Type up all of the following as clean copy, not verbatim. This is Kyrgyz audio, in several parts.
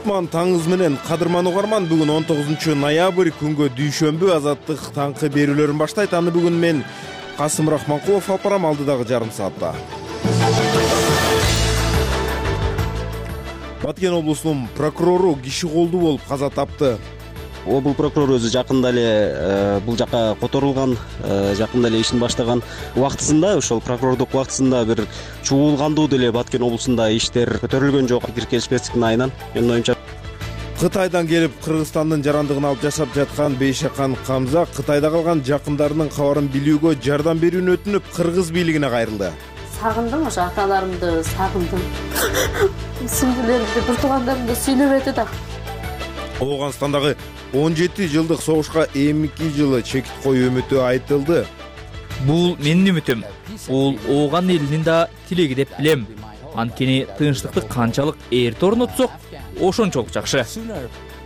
Кутман таңыңыз менен кадырман угарман, бүгүн 19 ноябрь күнгө дүйшөмбү. Азаттык таңкы берүүлөрүн баштайт. Аны бүгүн мен Касым Рахманкулов алып барам алдыдагы жарым саатта. Баткен облусунун прокурору киши колдуу болуп каза тапты. Облус прокурору өзү жакында эле бул жака которулган, жакында эле ишин баштаган убактысында, ошол прокурордук убактысында бир чуулгандуу деле Баткен облусунда иштер көтөрүлгөн жок. Пикир келишпестиктин айынан менин оюмча. Кытайдан келип Кыргызстандын жарандыгын алып жашап жаткан Бейшакан Камза Кытайда калган жакындарынын кабарын билүүгө жардам берүүнү өтүнүп кыргыз бийлигине кайрылды. Сагындым, ошо аталарымды сагындым. Сиңдилеримди, бир туугандарымды сүйлөбөдү да. Ооганстандагы 17 жылдык согушка 22 жылы чекит коюу үмүтү айтылды. Бул менин үмүтүм. Бул ооган элинин да тилеги деп билем. Анткени тынчтыкты канчалык эрте орнотсок, ошончолук жакшы.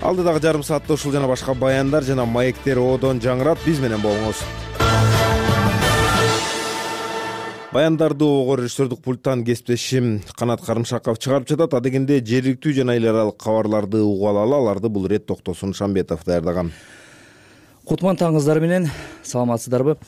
Алдыдагы жарым саатта ушул жана башка баяндар жана маектер оодон жаңырат. Биз менен болуңуз. Баяндарды ого режиссердук пульттан кесиптешим Канат Карымшаков чыгарып жатат. Адегенде жергиликтүү жана эл аралык кабарларды угуп алалы. Аларды бул ирет Токтосун Шамбетов даярдаган. Кутман таңыңыздар менен, саламатсыздарбы?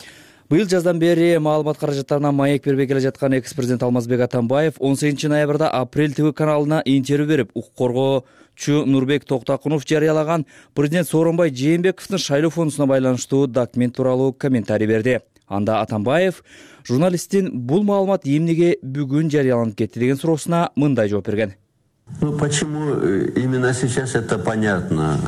Быйыл жаздан бери маалымат каражаттарына маек бербей келе жаткан экс-президент Алмазбек Атамбаев 18 ноябрда Апрель ТВ каналына интервью берип, укук коргоочу Нурбек Токтакунов жарыялаган президент Сооронбай Жээнбековдун шайлоо фондусуна байланыштуу документ тууралуу комментарий берди. Анда Атамбаев журналисттин бул маалымат эмнеге бүгүн жарыяланып кетти деген суроосуна мындай жооп берген. Почему именно сейчас это понятно?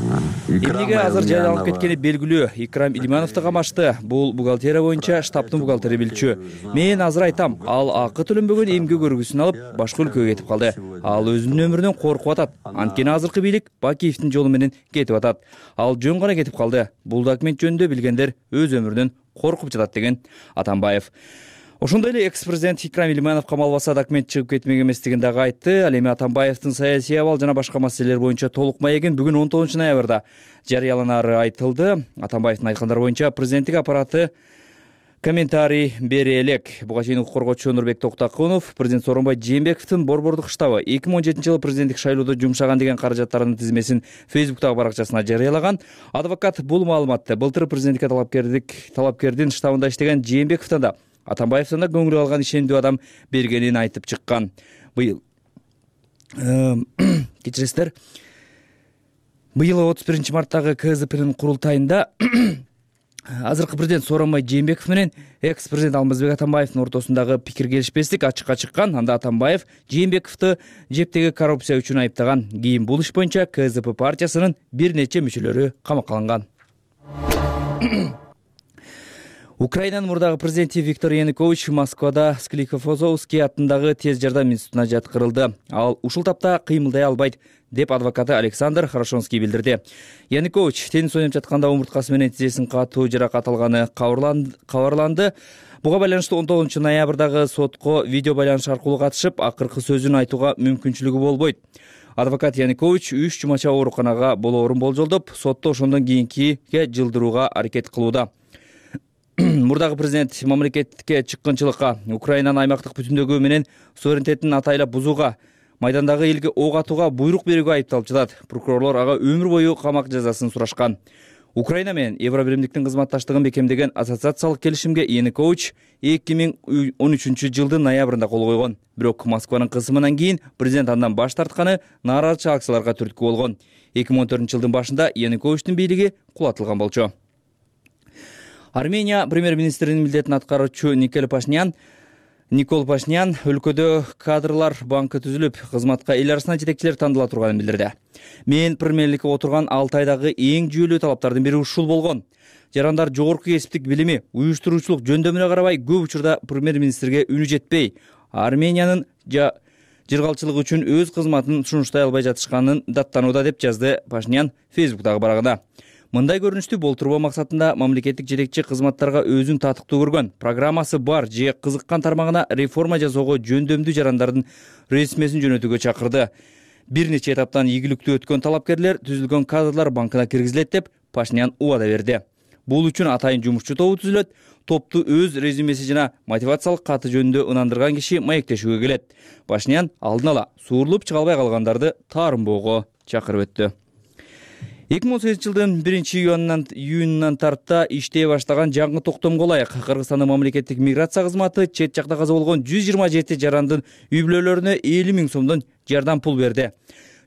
Эмнеге азыр жарыяланып кеткени белгилүү. Икрам Илимановду камашты. Бул бухгалтерия боюнча штабтын бухгалтери билчү. Мен азыр айтам, ал акы төлөнбөгөн эмгек көргүсүн алып башка өлкөгө кетип калды. Ал өзүнүн өмүрүнөн коркуп атат. Анткени азыркы бийлик Бакиевдин жолу менен кетип атат. Ал жөн гана кетип калды. Бул документ жөнүндө билгендер өз өмүрүнөн коркуп жатат деген Атамбаев. Ошондой эле экс-президент Икрам Илиманов камалбаса документ чыгып кетмек эместигин дагы айтты. Ал эми Атамбаевдин саясий абал жана башка маселелер боюнча толук маегин бүгүн 19 ноябрда жарыяланары айтылды. Атамбаевдин айткандары боюнча президенттик аппараты комментарий бере элек. Буга чейин укук коргоочу Нурбек Токтакунов президент Сооронбай Жээнбековдун борбордук штабы 2017 жылы президенттик шайлоодо жумшаган деген каражаттарынын тизмесин Facebook'тагы баракчасына жарыялаган. Адвокат бул маалыматты былтыр президенттикке талапкердин штабында иштеген Жээнбековдон да Атамбаевден да көңүл алган ишендүү адам бергенин айтып чыккан. Быйыл кечиресиздер. Быйыл 31 марттагы КЗПнын курултайында азыркы президент Сооронбай Жээнбеков менен экс-президент Алмазбек Атамбаевдин ортосундагы пикир келишпестик ачыкка чыккан. Анда Атамбаев Жээнбековду жептеги коррупция үчүн айыптаган. Кийин бул иш боюнча КЗП партиясынын бир нече мүчөлөрү камакка алынган. Украинанын мурдагы президенти Виктор Янукович Москвада Склифосовский атындагы тез жардам институтуна жаткырылды. Ал ушул тапта кыймылдай албайт деп адвокаты Александр Хорошонский билдирди. Янукович теннис ойноп жатканда омурткасы менен тизесин катуу жаракат алганы кабарланды. Буга байланыштуу 19 ноябрдагы сотко видео байланыш аркылуу катышып, акыркы сөзүн айтууга мүмкүнчүлүгү болбойт. Адвокат Янукович 3 жумача ооруканага болоорун болжолдоп, сотто ошондон кийинкиге жылдырууга аракет кылууда. Мурдагы президент мамлекетке чыккынчылыкка, Украинанын аймактык бүтүндүгү менен суверенитетин атайлап бузууга, майдандагы элге ок атууга буйрук берүүгө айыпталып жатат. Прокурорлор ага өмүр бою камак жазасын сурашкан. Украина менен Евробиримдиктин кызматташтыгын бекемдеген ассоциациялык келишимге Янукович 2013 жылдын ноябрында кол койгон. Бирок Москванын кысымынан кийин президент андан баш тартканы нааразычылык акцияларга түрткү болгон. 2014 жылдын башында Януковичтин бийлиги кулатылган болчу. Армения премьер-министринин милдетин аткаруучу Никол Пашинян өлкөдө кадрлар банкы түзүлүп, кызматка эл арасынан жетекчилер тандала турганын билдирди. Мен премьерликке отурган 6 айдагы эң жүйөлүү талаптардын бири ушул болгон. Жарандар жогорку кесиптик билими, уюштуруучулук жөндөмүнө карабай көп учурда премьер-министрге үнү жетпей, Армениянын жыргалчылыгы үчүн өз кызматын сунуштай албай жатышканын даттанууда деп жазды Пашинян Facebook'тагы барагында. Мындай көрүнүштү болтурбоо максатында мамлекеттик жетекчи кызматтарга өзүн татыктуу көргөн, программасы бар же кызыккан тармагына реформа жасоого жөндөмдүү жарандардын резюмесин жөнөтүүгө чакырды. Бир нече этаптан ийгиликтүү өткөн талапкерлер түзүлгөн кадрлар банкына киргизилет деп Пашинян убада берди. Бул үчүн атайын жумушчу тобу түзүлөт. Топту өз резюмеси жана мотивациялык каты жөнүндө ынандырган киши маектешүүгө келет. Пашинян алдын ала суурулуп чыга албай калгандарды таарынбоого чакырып өттү. 2018 жылдын 1-июнунан тарта иштей баштаган жаңы токтомго ылайык Кыргызстандын мамлекеттик миграция кызматы чет жакта каза болгон 127 жарандын үй бүлөлөрүнө 50 000 сомдон жардам пул берди.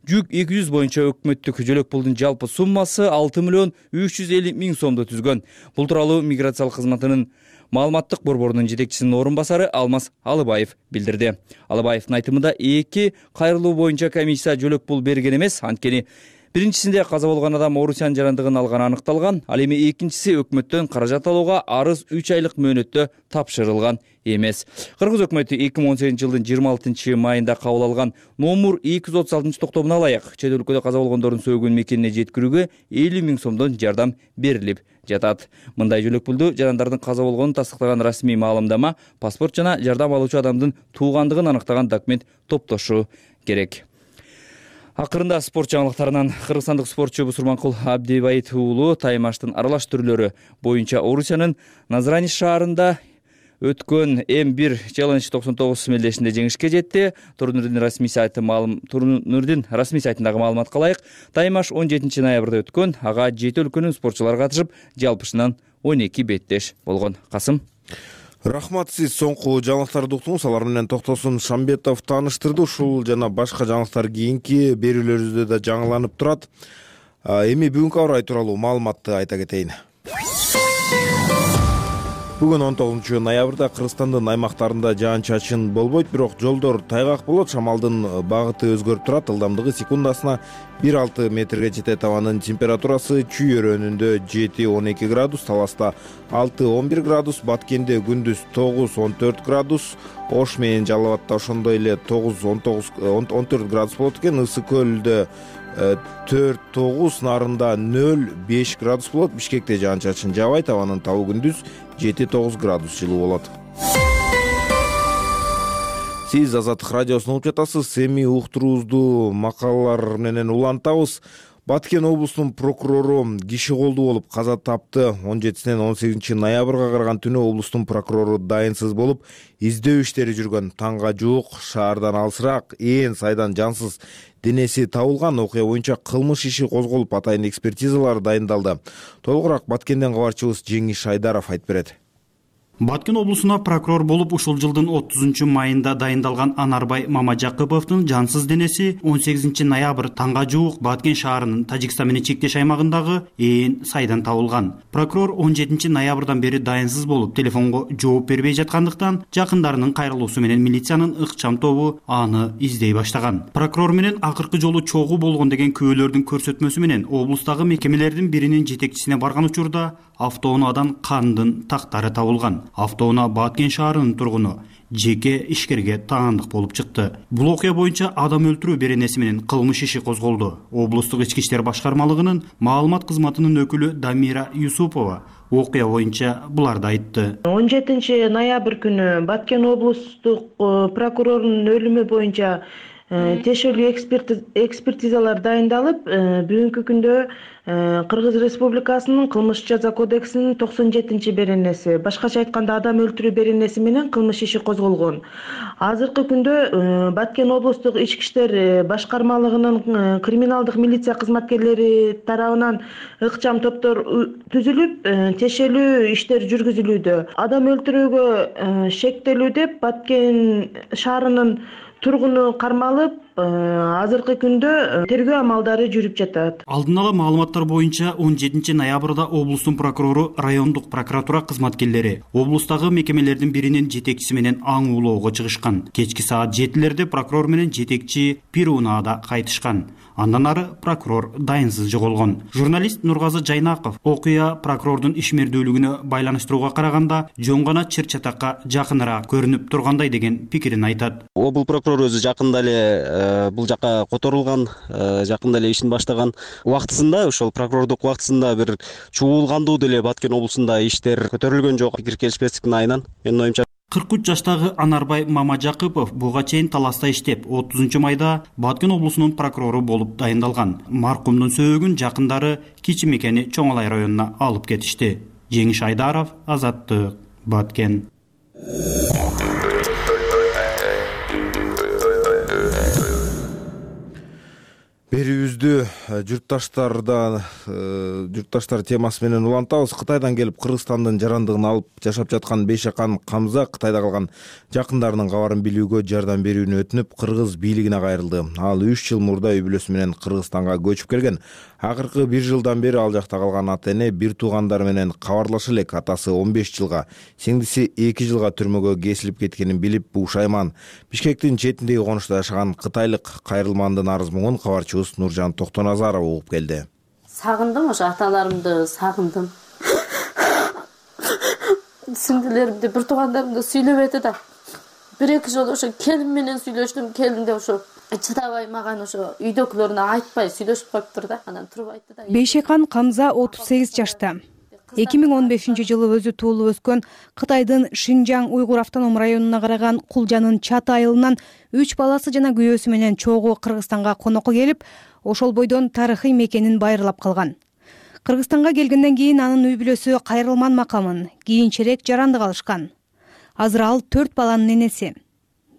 Жүк 200 боюнча өкмөттүк жөлөк пулдун жалпы суммасы 6 миллион 350 000 сомду түзгөн. Бул тууралуу миграциялык кызматынын маалыматтык борборунун жетекчисинин орун басары Алмаз Алыбаев билдирди. Алыбаевдин айтымында 2 кайрылуу боюнча комиссия жөлөк пул берген эмес, анткени биринчисинде каза болгон адам Орусиянын жарандыгын алганы аныкталган, ал эми экинчиси өкмөттөн каражат алууга арыз 3 айлык мөөнөттө тапшырылган эмес. Кыргыз өкмөтү 2018 жылдын 26 майында кабыл алган номер 236 токтомуна ылайык чет өлкөдө каза болгондордун сөөгүн мекенине жеткирүүгө 50 000 сомдон жардам берилип жатат. Мындай жөлөк пулду жарандардын каза болгонун тастыктаган расмий маалымдама, паспорт жана жардам алуучу адамдын туугандыгын аныктаган документ топтошу керек. Акырында спорт жаңылыктарынан кыргызстандык спортчу Бусурманкул Абдибайит уулу таймаштын аралаш түрлөрү боюнча Орусиянын Назрани шаарында өткөн М1 Challenge 99 мелдешинде жеңишке жетти. Турнирдин расмий сайтындагы маалыматка ылайык, таймаш 17 ноябрда өткөн. Ага 7 өлкөнүн спортчулары катышып, жалпысынан 12 беттеш болгон. Касым. Рахмат, сиз соңку жаңылыктарды уктуңуз. Алар менен Токтосун Шамбетов тааныштырды. Ушул жана башка жаңылыктар кийинки берүүлөрүбүздө да жаңыланып турат. Эми бүгүнкү аба ырайы тууралуу маалыматты айта кетейин. Бүгүн 19 ноябрда Кыргызстандын аймактарында жаан-чачын болбойт, бирок жолдор тайгак болот. Шамалдын багыты өзгөрүп турат. Ылдамдыгы секундасына 1-6 метрге жетет. Абанын температурасы Чүй өрөөнүндө 7-12 градус, Таласта 6-11 градус, Баткенде күндүз 9-14 градус, Ош менен Жалал Абадта ошондой эле 9-14 градус болот экен. Ысык көлдө 4-9, Нарында 0-5 градус болот. Бишкекте жаан-чачын жаабайт. Абанын табы күндүз 7-9 градус жылуу болот. Сиз Азаттык радиосун угуп жатасыз. Эми уктуруубузду макалалар менен улантабыз. Баткен облусунун прокурору киши колдуу болуп каза тапты. 17-ден 18 ноябрга караган түнү облустун прокурору дайынсыз болуп, издөө иштери жүргөн. Таңга жуук шаардан алысыраак Ээн сайдан жансыз денеси табылган. Окуя боюнча кылмыш иши козголуп, атайын экспертизалар дайындалды. Толугураак Баткенден кабарчыбыз Жеңиш Айдаров айтып берет. Баткен облусуна прокурор болуп ушул жылдын 30 майында дайындалган Анарбай Мамажакыповдун жансыз денеси 18 ноябрь таңга жуук Баткен шаарынын Тажикстан менен чектеш аймагындагы Ээн сайдан табылган. Прокурор 17 ноябрдан бери дайынсыз болуп, телефонго жооп бербей жаткандыктан жакындарынын кайрылуусу менен милициянын ыкчам тобу аны издей баштаган. Прокурор менен акыркы жолу чогуу болгон деген күбөлөрдүн көрсөтмөсү менен облустагы мекемелердин биринин жетекчисине барган учурда автоунаадан кандын тактары табылган. Автоунаа Баткен шаарынын тургуну жеке ишкерге таандык болуп чыкты. Бул окуя боюнча адам өлтүрүү беренеси менен кылмыш иши козголду. Облустук ички иштер башкармалыгынын маалымат кызматынын өкүлү Дамира Юсупова окуя боюнча буларды айтты. 17 ноябрь күнү Баткен облустук прокурорунун өлүмү боюнча тиешелүү экспертизалар дайындалып, бүгүнкү күндө Кыргыз Республикасынын кылмыш жаза кодексинин 97 беренеси, башкача айтканда адам өлтүрүү беренеси менен кылмыш иши козголгон. Азыркы күндө Баткен облустук ички иштер башкармалыгынын криминалдык милиция кызматкерлери тарабынан ыкчам топтор түзүлүп, тиешелүү иштер жүргүзүлүүдө. Адам өлтүрүүгө шектелүү деп Баткен шаарынын тургуну кармалып, азыркы күндө тергөө амалдары жүрүп жатат. Алдын ала маалыматтар боюнча 17 ноябрда облустун прокурору райондук прокуратура кызматкерлери облустагы мекемелердин биринин жетекчиси менен аң улоого чыгышкан. Кечки саат 7-лерде прокурор менен жетекчи бир унаада кайтышкан. Андан ары прокурор дайынсыз жоголгон. Журналист Нургазы Жайнаков окуя прокурордун ишмердүүлүгүнө байланыштырууга караганда жөн гана чыр-чатакка жакыныраак көрүнүп тургандай деген пикирин айтат. Бул прокурор өзү жакында эле бул жака которулган, жакында эле ишин баштаган убактысында, ошол прокурордук убактысында бир чуулгандуу деле Баткен облусунда иштер көтөрүлгөн жок. Пикир келишпестиктин айынан менин оюмча 43 жаштагы Анарбай Мамажакыпов буга чейин таласта иштеп, 30 майда Баткен облусунун прокурору болуп дайындалган. Маркумдун сөөгүн жакындары Кичи Мекени Чоңалай районуна алып кетишти. Жеңиш Айдаров, Азаттык, Баткен. Берүүбүздү журтташтар темасы менен улантабыз. Кытайдан келип Кыргызстандын жарандыгын алып жашап жаткан Бейшакан Камза Кытайда калган жакындарынын кабарын билүүгө жардам берүүнү өтүнүп, кыргыз бийлигине кайрылды. Ал 3 жыл мурда үй бүлөсү менен Кыргызстанга көчүп келген. Акыркы 1 жылдан бери ал жакта калган ата-эне бир туугандары менен кабарлаша элек. Атасы 15 жылга, сиңдиси 2 жылга түрмөгө кесилип кеткенин билип бушайман. Бишкектин четиндеги конушта жашаган кытайлык кайрылмандын арыз муңун кабарчыбыз Нуржан Токтоназарова угуп келди. Сагындым, ошо аталарымды сагындым. Сиңдилеримди, бир туугандарымды сүйлөбөдү да. 1-2 жолу ошо келин менен сүйлөштүм. Келин де ошо чыдабай маган ошо үйдөгүлөрүнө айтпай сүйлөшүп коюптур да. Анан туруп айтты да. Бейшакан Камза 38 жашта. 2015-жылы өзү туулуп өскөн Кытайдын Шинжаң уйгур автоном районуна караган Кулжанын Чат айылынан 3 баласы жана күйөөсү менен чогуу Кыргызстанга конокко келип, ошол бойдон тарыхый мекенин байырлап калган. Кыргызстанга келгенден кийин анын үй бүлөсү кайрылман макамын, кийинчерээк жарандык алышкан. Азыр ал 4 баланын энеси.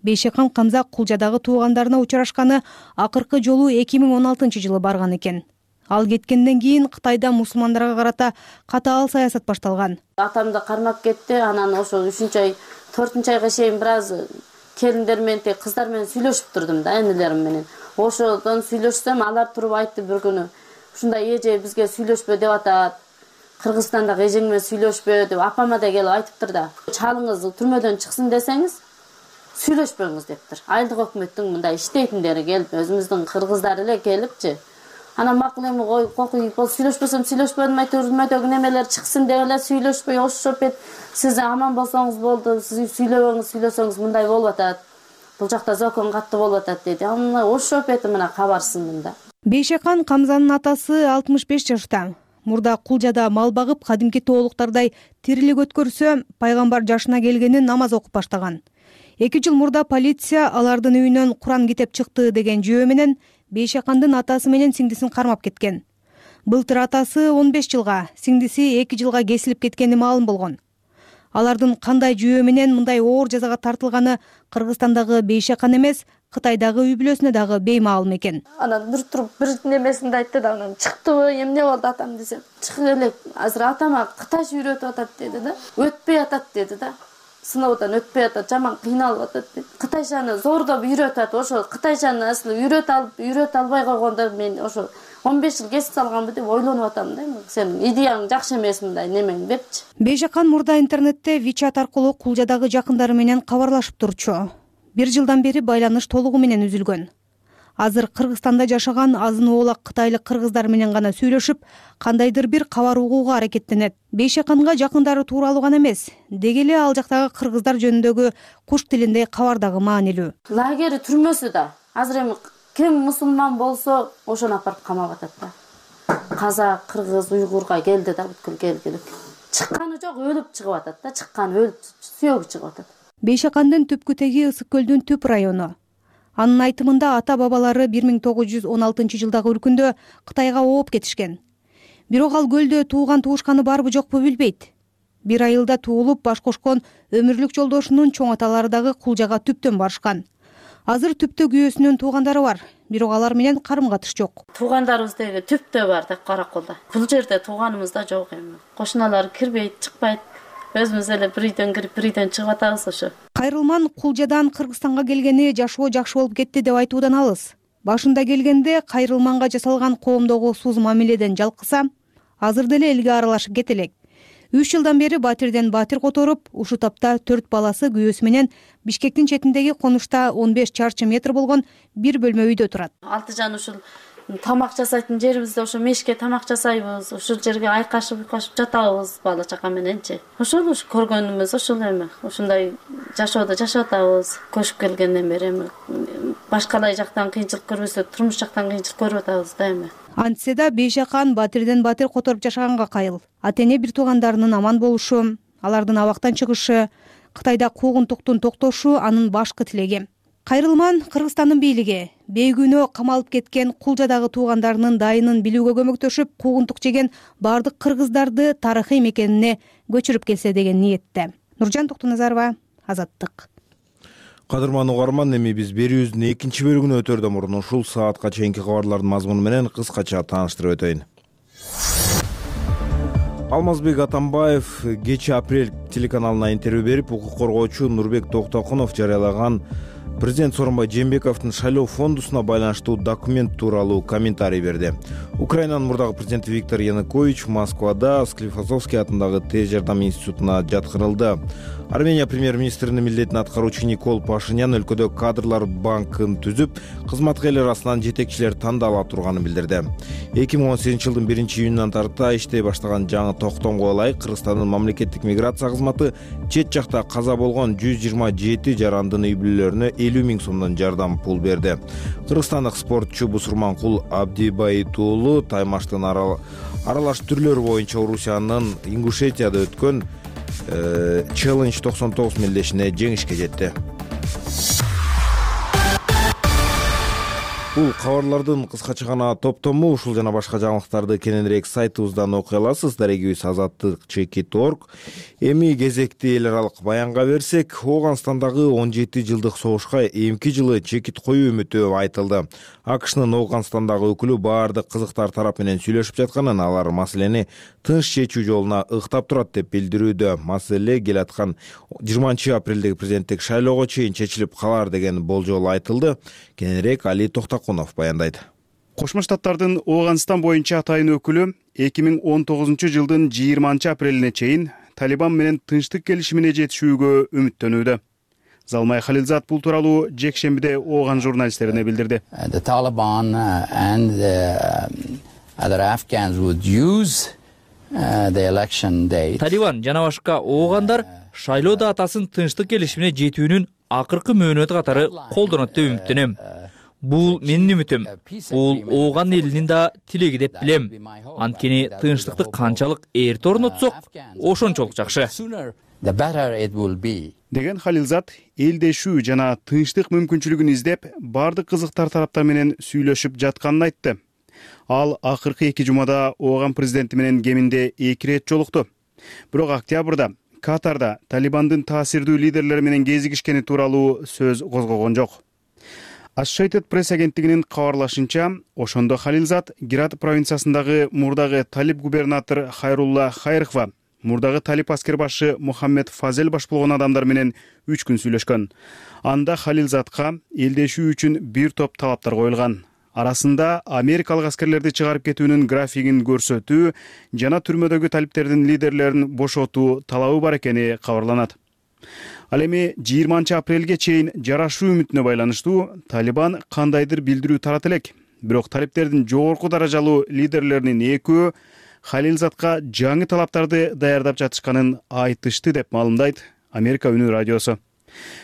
Бейшакан Камза Кулжадагы туугандарына учурашканы акыркы жолу 2016-жылы барган экен. Ал кеткенден кийин Кытайда мусулмандарга карата катаал саясат башталган. Атамды кармап кетти. Анан ошо 3-ай, 4-айга чейин бир аз келиндер менен, кыздар менен сүйлөшүп турдум да, энелерим менен. Ошодон сүйлөшсөм, алар туруп айтты бир күнү. Ушундай эже бизге сүйлөшпө деп атат. Кыргызстандагы эжең менен сүйлөшпө деп апама да келип айтыптыр да. Чалыңыз түрмөдөн чыксын десеңиз, сүйлөшпөңүз дептир. Айылдык өкмөттүн мындай иштейтиндери келип, өзүбүздүн кыргыздар эле келипчи. Анан макул эми кокуй сүйлөшпөсөм сүйлөшпөдүм, түрмөдөгү немелер чыксын деп эле сүйлөшпөй ошошоп эт. Сиз аман болсоңуз болду, сиз сүйлөсөңүз мындай болуп атат. Бул жакта закон катуу болуп атат деди. Аны ошошоп эт мына кабарсындым да. Бейшакан Камзанын атасы 65 жашта. Мурда Кулжада мал багып, кадимки тоолуктардай тирилик өткөрсө, пайгамбар жашына келгенин намаз окуп баштаган. 2 жыл мурда полиция алардын үйүнөн Куран китеп чыкты деген жөө менен Бейшакандын атасы менен сиңдисин кармап кеткен. Былтыр атасы 15 жылга, сиңдиси 2 жылга кесилип кеткени маалым болгон. Алардын кандай жөө менен мындай оор жазага тартылганы Кыргызстандагы Бейшакан эмес, Кытайдагы үй бүлөсүнө дагы беймаалым экен. Анан бир туруп бир немесинде айтты да, анан чыктыбы, эмне болду атам десем, чыгып элек, азыр атама кытайча үйрөтүп атат деди да. Өтпөй атат деди да. Сыноодон өтпөй атат, жаман кыйналып атат деди. Кытайчаны зордоп үйрөтүп атат. Ошо кытайчаны аслы үйрөтө албай койгондо мен ошо 15 жыл кесип салганбы деп ойлонуп атам да. Сенин идеяң жакшы эмес мындай немең депчи. Бейшакан мурда интернетте WeChat аркылуу Кулжадагы жакындары менен кабарлашып турчу. 1 жылдан бери байланыш толугу менен үзүлгөн. Азыр Кыргызстанда жашаган азын оолак кытайлык кыргыздар менен гана сүйлөшүп, кандайдыр бир кабар угууга аракеттенет. Бейшаканга жакындары тууралуу гана эмес, деги эле ал жактагы кыргыздар жөнүндөгү куш тилинде кабар дагы маанилүү. Лагерь түрмөсү да. Азыр эми ким мусулман болсо, ошону апарып камап атат да. Казак, кыргыз, уйгурга келди да, бүткүл келгилик. Чыкканы жок, өлүп чыгып атат да, чыкканы өлүп, сүйөгү чыгып атат. Бейшакандын түпкү теги Ысык көлдүн түп району. Анын айтымында ата-бабалары 1916 жылдагы үркүндө Кытайга ооп кетишкен. Бирок ал көлдө тууган туушканы барбы жокпу билбейт. Бир айылда туулуп баш кошкон өмүрлүк жолдошунун чоң аталары дагы Кулжага түптөн барышкан. Азыр түптө күйөөсүнүн туугандары бар, бирок алар менен карым-катыш жок. Туугандарыбыз деги түптө бар да, Караколдо. Бул жерде тууганыбыз да жок эми. Кошуналар кирбейт, чыкпайт. Өзүбүз эле бир үйдөн кирип, бир үйдөн чыгып атабыз ошо. Кайрылман Кулжадан Кыргызстанга келгени жашоо жакшы болуп кетти деп айтуудан алыс. Башында келгенде Кайрылманга жасалган коомдогу сууз мамиледен жалкыса, азыр деле элге аралашып кетелек. 3 жылдан бери батирден батир которуп, ушул тапта 4 баласы күйөөсү менен Бишкектин четиндеги конушта 15 чарчы метр болгон бир бөлмө үйдө турат. Алтыжан ушул тамак жасайтын жерибизде ошо мешке тамак жасайбыз, ушул жерге айкашып жатабыз бала чака мененчи. Ошол көргөнүмүз ошол эми. Ушундай жашоодо жашап атабыз. Көчүп келгенден бери эми башкалай жактан кыйынчылык көрбөсө, турмуш жактан кыйынчылык көрүп атабыз да эми. Антсе да Бейшакан батирден батир которуп жашаганга кайыл. Ата-эне бир туугандарынын аман болушу, алардын абактан чыгышы, Кытайда куугунтуктун токтошу анын башкы тилеги. Кайрылман Кыргызстандын бийлиги бейгүнөө камалып кеткен Кулжадагы туугандарынын дайынын билүүгө көмөктөшүп, куугунтук жеген бардык кыргыздарды тарыхый мекенине көчүрүп келсе деген ниетте. Нуржан Токтоназарова, Азаттык. Кадырман угарман, эми биз берүүбүздүн экинчи бөлүгүнө өтөрдөн мурун ушул саатка чейинки кабарлардын мазмуну менен кыскача тааныштырып өтөйүн. Алмазбек Атамбаев кечээ Апрель телеканалына интервью берип, укук коргоочу Нурбек Токтокунов жарыялаган президент Сооронбай Жээнбековдун шайлоо фондусуна байланыштуу документ тууралуу комментарий берди. Украинанын мурдагы президенти Виктор Янукович Москвада Склифосовский атындагы тез жардам институтуна жаткырылды. Армения премьер-министринин милдетин аткаруучу Никол Пашинян өлкөдө кадрлар банкын түзүп, кызматка эл арасынан жетекчилер тандала турганын билдирди. 2018 жылдын 1-июнунан тарта иштей баштаган жаңы токтомго ылайык Кыргызстандын мамлекеттик миграция кызматы чет жакта каза болгон 127 жарандын үй бүлөлөрүнө 50 000 сомдон жардам пул берди. Кыргызстандык спортчу Бусурманкул Абдибайтуулу таймаштын аралаш түрлөрү боюнча Орусиянын Ингушетияда өткөн Challenge 99 мелдешине жеңишке жетти. Бул кабарлардын кыскача гана топтому. Ушул жана башка жаңылыктарды кененирээк сайтыбыздан окуй аласыз. Дарегибиз azattik.org. Эми кезекти эл аралык баянга берсек, Ооганстандагы 17 жылдык согушка эмки жылы чекит коюу үмүтү айтылды. АКШнын Ооганстандагы өкүлү баардык кызыктар тарап менен сүйлөшүп жатканын, алар маселени тынч чечүү жолуна ыктап турат деп билдирүүдө. Маселе келаткан 20 апрелдеги президенттик шайлоого чейин чечилип калар деген болжол айтылды. Кененирээк Али Токтокунов баяндайт. Кошмо Штаттардын Ооганстан боюнча атайын өкүлү 2019 жылдын 20 апрелине чейин Талибан менен тынчтык келишимине жетишүүгө үмүттөнүүдө. Залмай Халилзат бул тууралуу жекшембиде Ооган журналисттерине билдирди. The Taliban and other Afghans would use the election date. Талибан жана башка оогандар шайлоо датасын тынчтык келишимине жетүүнүн акыркы мөөнөтү катары колдонот деп үмүттөнөм. Бул менин үмүтүм. Бул Ооган элинин да тилеги деп билем. Анткени тынчтыкты канчалык эрте орнотсок, ошончолук жакшы. The better it will be. Деген Халилзат элдешүү жана тынчтык мүмкүнчүлүгүн издеп, бардык кызыктар тараптар менен сүйлөшүп жатканын айтты. Ал акыркы 2 жумада Ооган президенти менен кеминде 2 ирет жолукту. Бирок октябрда Катарда Талибандын таасирдүү лидерлери менен кезигишкени тууралуу сөз козгогон жок. Associated Press агенттигинин кабарлашынча, ошондо Халилзат Герат провинциясындагы мурдагы талиб губернатор Хайрулла Хайрхва, мурдагы талиб аскер башы Мухаммед Фазел баш болгон адамдар менен 3 күн сүйлөшкөн. Анда Халилзатка элдешүү үчүн бир топ талаптар коюлган. Арасында америкалык аскерлерди чыгарып кетүүнүн графигин көрсөтүү жана түрмөдөгү талиптердин лидерлерин бошотуу талабы бар экени кабарланат. Ал эми 20 апрелге чейин жарашуу үмүтүнө байланыштуу Талибан кандайдыр билдирүү тарата элек. Бирок талиптердин жогорку даражалуу лидерлеринин экөө Халилзатка жаңы талаптарды даярдап жатышканын айтышты деп маалымдайт Америка үнү радиосу.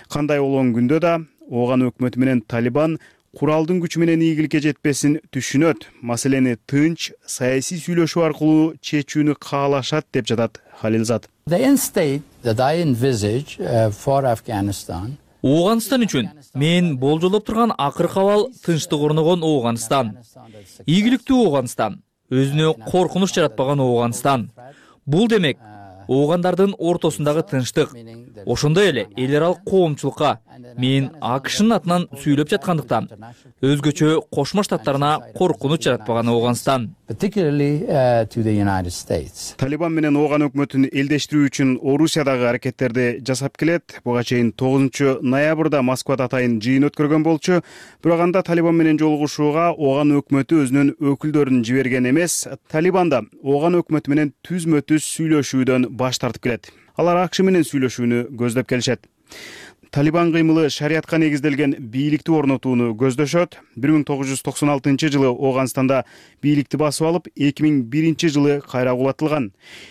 Кандай болгон күндө да Ооган өкмөтү менен Талибан куралдын күчү менен ийгиликке жетпесин түшүнөт, маселени тынч саясий сүйлөшүү аркылуу чечүүнү каалашат деп жатат Халилзат. The end state that I envisage for Afghanistan. Ооганстан үчүн мен болжолдоп турган акыркы абал тынчтык орногон Ооганстан. Ийгиликтүү Ооганстан, өзүнө коркунуч жаратпаган Ооганстан. Бул демек оогандардын ортосундагы тынчтык. Ошондой эле эл аралык коомчулукка мен АКШнын атынан сүйлөп жаткандыктан өзгөчө Кошмо Штаттарына коркунуч жаратпаган Ооганстан. Particularly to the United States. Талибан менен Ооган өкмөтүн элдештирүү үчүн Орусиядагы аракеттерди жасап келет. Буга чейин 9 ноябрда Москвада атайын жыйын өткөргөн болчу. Бирок анда Талибан менен жолугушууга Ооган өкмөтү өзүнүн өкүлдөрүн жиберген эмес. Талибан да Ооган өкмөтү менен түзмө-түз сүйлөшүүдөн баш тартып келет. Алар АКШ менен сүйлөшүүнү көздөп келишет. Талибан кыймылы шариатка негизделген бийликти орнотууну көздөшөт. 1996 жылы Ооганстанда бийликти басып алып, 2001 жылы кайра кулатылган.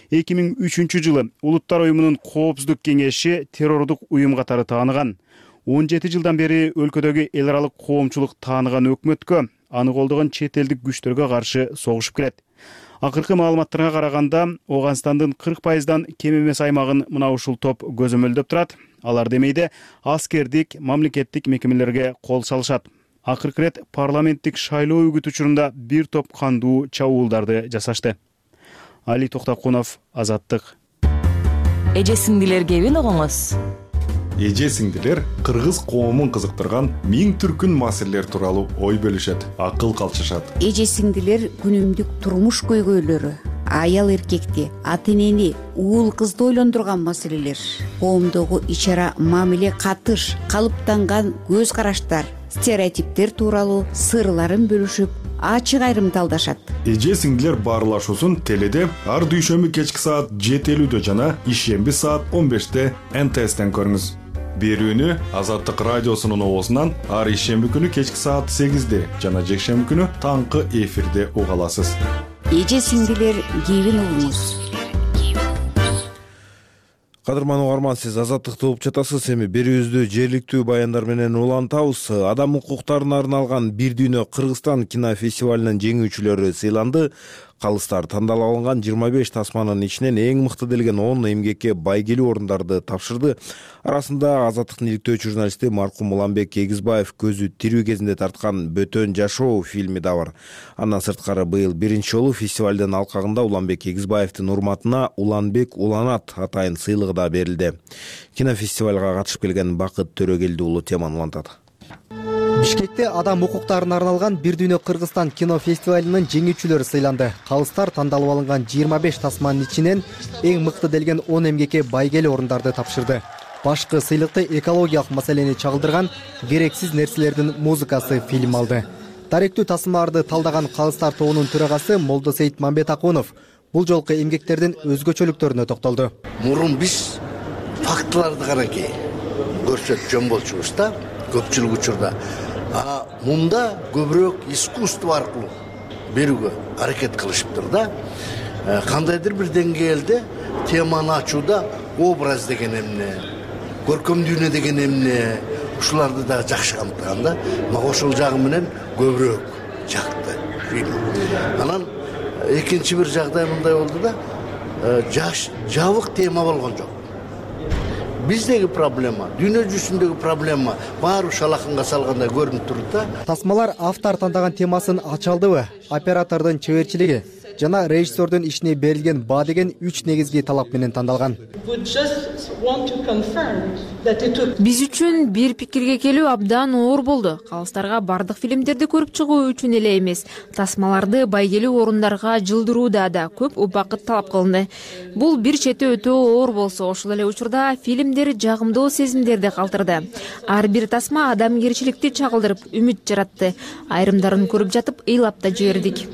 2003 жылы Улуттар уюмунун коопсуздук кеңеши террордук уюм катары тааныган. 17 жылдан бери өлкөдөгү эл аралык коомчулук тааныган өкмөткө, аны колдогон чет элдик күчтөргө каршы согушуп келет. Акыркы маалыматтарга караганда, Ооганстандын 40%дан кем эмес аймагын мына ушул топ көзөмөлдөп турат. Алар демейде аскердик, мамлекеттик мекемелерге кол салышат. Акыркы ирет парламенттик шайлоо үгүт учурунда бир топ кандуу чабуулдарды жасашты. Али Токтокунов, Азаттык. Эже сиңдилер кебин огоңуз. Эже сиңдилер кыргыз коомун кызыктырган миң түркүн маселелер тууралуу ой бөлүшөт, акыл калчышат. Эже сиңдилер күнүмдүк турмуш көйгөйлөрү, аял эркекти, ата энени, уул кызды ойлондурган маселелер, коомдогу ич-ара мамиле, катыш, калыптанган көз караштар, стереотиптер тууралуу сырларын бөлүшүп, ачык айрымдалдашат. Эже сиңдилер баарлашуусун теледе ар дүйшөмбү кечки саат 7:50 жана ишемби саат 15 НТСтен көрүңүз. Берүүнү Азаттык радиосунун оозунан ар ишемби күнү кечки саат 8 жана жекшемби күнү таңкы эфирде уга аласыз. Эже сиңдилер кебин угуңуз. Кадырман угарман, сиз Азаттыкты угуп жатасыз. Эми берүүбүздү жергиликтүү баяндар менен улантабыз. Адам укуктарына арналган Бир дүйнө Кыргызстан кинофестивалынын жеңүүчүлөрү сыйланды. Калыстар тандалып алынган 25 тасманын ичинен эң мыкты делген 10 эмгекке байгелүү орундарды тапшырды. Арасында Азаттыктын иликтөөчү журналисти маркум Уланбек Эгизбаев көзү тирүү кезинде тарткан Бөтөн жашоо фильми да бар. Андан сырткары быйыл биринчи жолу фестивалдын алкагында Уланбек Эгизбаевдин урматына Уланбек Уланат атайын сыйлыгы да берилди. Кинофестивалга катышып келген Бакыт Төрөгелди уулу теманы улантат. Бишкекте адам укуктарына арналган Бир дүйнө Кыргызстан кинофестивалынын жеңүүчүлөрү сыйланды. Калыстар тандалып алынган 25 тасманын ичинен эң мыкты делген 10 эмгекке байгелүү орундарды тапшырды. Башкы сыйлыкты экологиялык маселени чагылдырган Керексиз нерселердин музыкасы фильм алды. Даректүү тасмаларды талдаган Калыстар тобунун төрагасы Молдосейит Мамбетакунов бул жолку эмгектердин өзгөчөлүктөрүнө токтолду. Мурун биз фактыларды каракей көрсөтүп жөн болчубуз да, көпчүлүк учурда. Мында көбүрөөк искусство аркылуу берүүгө аракет кылышыптыр да. Кандайдыр бир деңгээлде теманы ачууда образ деген эмне, көркөм дүйнө деген эмне, ушуларды да жакшы камтыган да. Мага ошол жагы менен көбүрөөк жакты фильм. Анан экинчи бир жагдай мындай болду да, жабык тема болгон жок. Биздеги проблема, дүйнө жүзүндөгү проблема баары шалакынга салгандай көрүнүп турат да. Тасмалар автор тандаган темасын ача алдыбы? Оператордун чеберчилиги жана режиссердун ишине берилген баа деген 3 негизги талап менен тандалган. Биз үчүн бир пикирге келүү абдан оор болду. Калыстарга бардык фильмдерди көрүп чыгуу үчүн эле эмес, тасмаларды байгелүү орундарга жылдырууда да көп убакыт талап кылынды. Бул бир чети өтө оор болсо, ошол эле учурда фильмдер жагымдуу сезимдерди калтырды. Ар бир тасма адамгерчиликти чагылдырып, үмүт жаратты. Айрымдарын көрүп жатып, ыйлап да жибердик.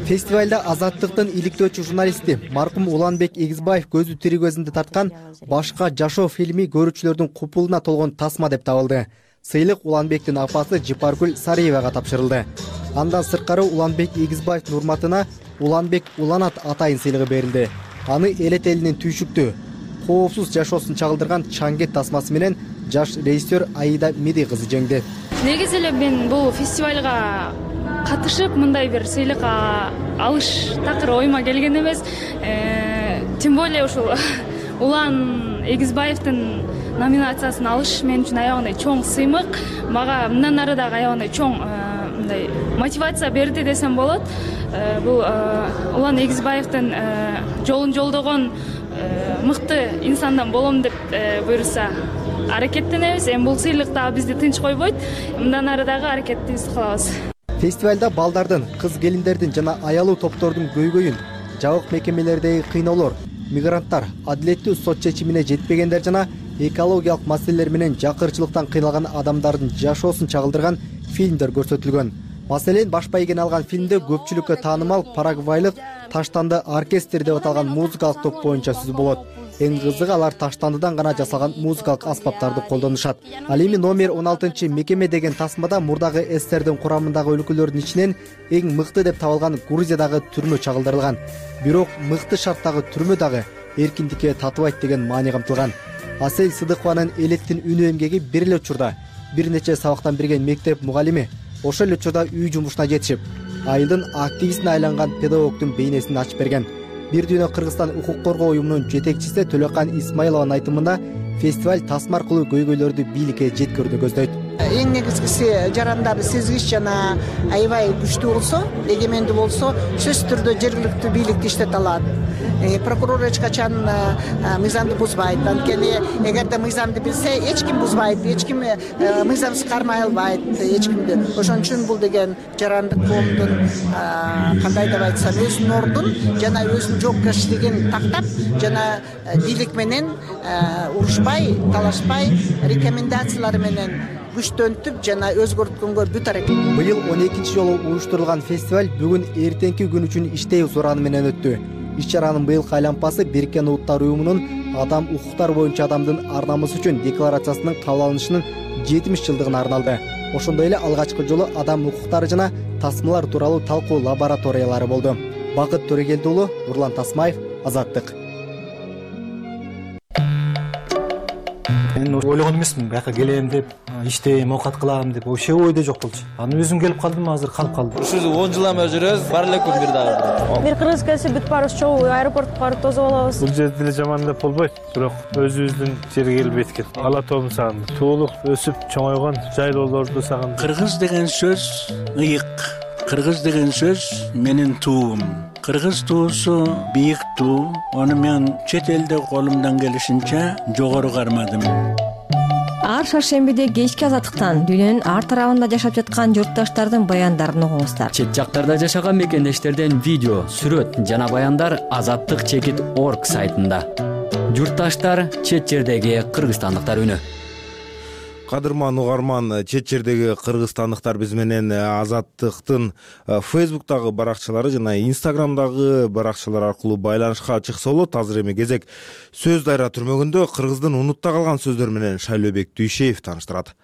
Фестивалда Азаттыктын иликтөөчү журналисти маркум Уланбек Эгизбаев көзү тирүү кезинде тарткан Башка жашоо фильми көрүүчүлөрдүн купулуна толгон тасма деп табылды. Сыйлык Уланбектин апасы Жипаргүл Сариевага тапшырылды. Андан сырткары Уланбек Эгизбаевдин урматына Уланбек Уланат атайын сыйлыгы берилди. Аны элет элинин түйшүктүү, коопсуз жашоосун чагылдырган Чангет тасмасы менен жаш режиссер Аида Меди кызы жеңди. Негизи эле мен бул фестивалга катышып мындай бир сыйлык алыш такыр оюма келген эмес. Тем более ушул Улан Эгизбаевдин номинациясын алыш мен үчүн аябагандай чоң сыймык. Мага мындан ары дагы аябагандай чоң мындай мотивация берди десем болот. Бул Улан Эгизбаевдин жолун жолдогон мыкты инсандан болом деп буйруса аракеттенебиз. Эми бул сыйлык дагы бизди тынч койбойт. Мындан ары дагы аракетибизди кылабыз. Фестивалда балдардын, кыз келиндердин жана аялуу топтордун көйгөйүн, жабык мекемелердеги кыйноолор, мигранттар, адилеттүү сот чечимине жетпегендер жана экологиялык маселелер менен жакырчылыктан кыйналган адамдардын жашоосун чагылдырган фильмдер көрсөтүлгөн. Маселен, баш байгени алган фильмде көпчүлүккө таанымал парагвайлык Таштанды оркестр деп аталган музыкалык топ боюнча сөз болот. Эң кызыгы алар таштандыдан гана жасалган музыкалык аспаптарды колдонушат. Ал эми номер 16 мекеме деген тасмада мурдагы СССРдин курамындагы өлкөлөрдүн ичинен эң мыкты деп табылган Грузиядагы түрмө чагылдырылган. Бирок мыкты шарттагы түрмө дагы эркиндикке татыбайт деген маани камтылган. Асель Сыдыкованын элеттин үнү эмгеги бир эле учурда бир нече сабактан берген мектеп мугалими ошол эле учурда үй жумушуна жетишип, айылдын активистине айланган педагогдун бейнесин ачып берген. Бир дүйнө Кыргызстан укук коргоо уюмунун жетекчиси Төлөкан Исмаилованын айтымында фестиваль тасма аркылуу көйгөйлөрдү бийликке жеткирүүнү көздөйт. Эң негизгиси жарандар сезгич жана аябай күчтүү болсо, эгемендүү болсо, сөзсүз түрдө жергиликтүү бийликти иштете алат. Прокурор эч качан мыйзамды бузбайт. Анткени эгерде мыйзамды билсе, эч ким бузбайт, эч ким мыйзамсыз кармай албайт эч кимди. Ошон үчүн бул деген жарандык коомдун кандай деп айтсам, өзүнүн ордун жана өзүнүн жоопкерчилигин тактап, жана бийлик менен урушпай, талашпай, рекомендациялар менен күчтөнтүп жана өзгөрткөнгө бүт аракет. Быйыл 12-чи жолу уюштурулган фестиваль бүгүн эртеңки күн үчүн иштей сураны менен өттү. Иш-чаранын быйылкы айлампасы Бириккен Улуттар уюмунун адам укуктары боюнча адамдын ар намысы үчүн декларациясынын кабыл алынышынын 70 жылдыгына арналды. Ошондой эле алгачкы жолу адам укуктары жана тасмалар тууралуу талкуу лабораториялары болду. Бакыт Төрөгелди уулу, Нурлан Тасмаев, Азаттык. Мен ойлогон эмесмин, бияка келем деп, иштейм, оокат кылам деп, вообще ойдо жок болчу. Анан өзүм келип калдым, азыр калып калдым. Ушул 10 жылдан бери жүрөбүз, бар эле күн бир дагы. Бир кыргыз келсе бүт баарыбыз чогуу аэропортко барып тосуп алабыз. Бул жерде деле жаман деп болбойт, бирок өзүбүздүн жерге келип эткен. Ала тоомду сагындым. Туулук, өсүп чоңойгон жайлоолорду сагындым. Кыргыз деген сөз ыйык. Кыргыз деген сөз менин туум. Кыргыз туусу бийик туу. Аны мен чет элде колумдан келишинче жогору кармадым. Ар шаршембиде кечки Азаттыктан дүйнөнүн ар тарабында жашап жаткан журтташтардын баяндарын угуңуздар. Чет жактарда жашаган мекендештерден видео, сүрөт жана баяндар azattik.org сайтында. Журтташтар, чет жердеги кыргызстандыктар үнү. Кадырман угарман, чет жердеги кыргызстандыктар биз менен Азаттыктын Facebook'тагы баракчалары жана Instagram'дагы баракчалар аркылуу байланышка чыкса болот. Азыр эми кезек сөз дайра түрмөгүндө кыргыздын унутта калган сөздөр менен Шайлообек Дүйшеев тааныштырат.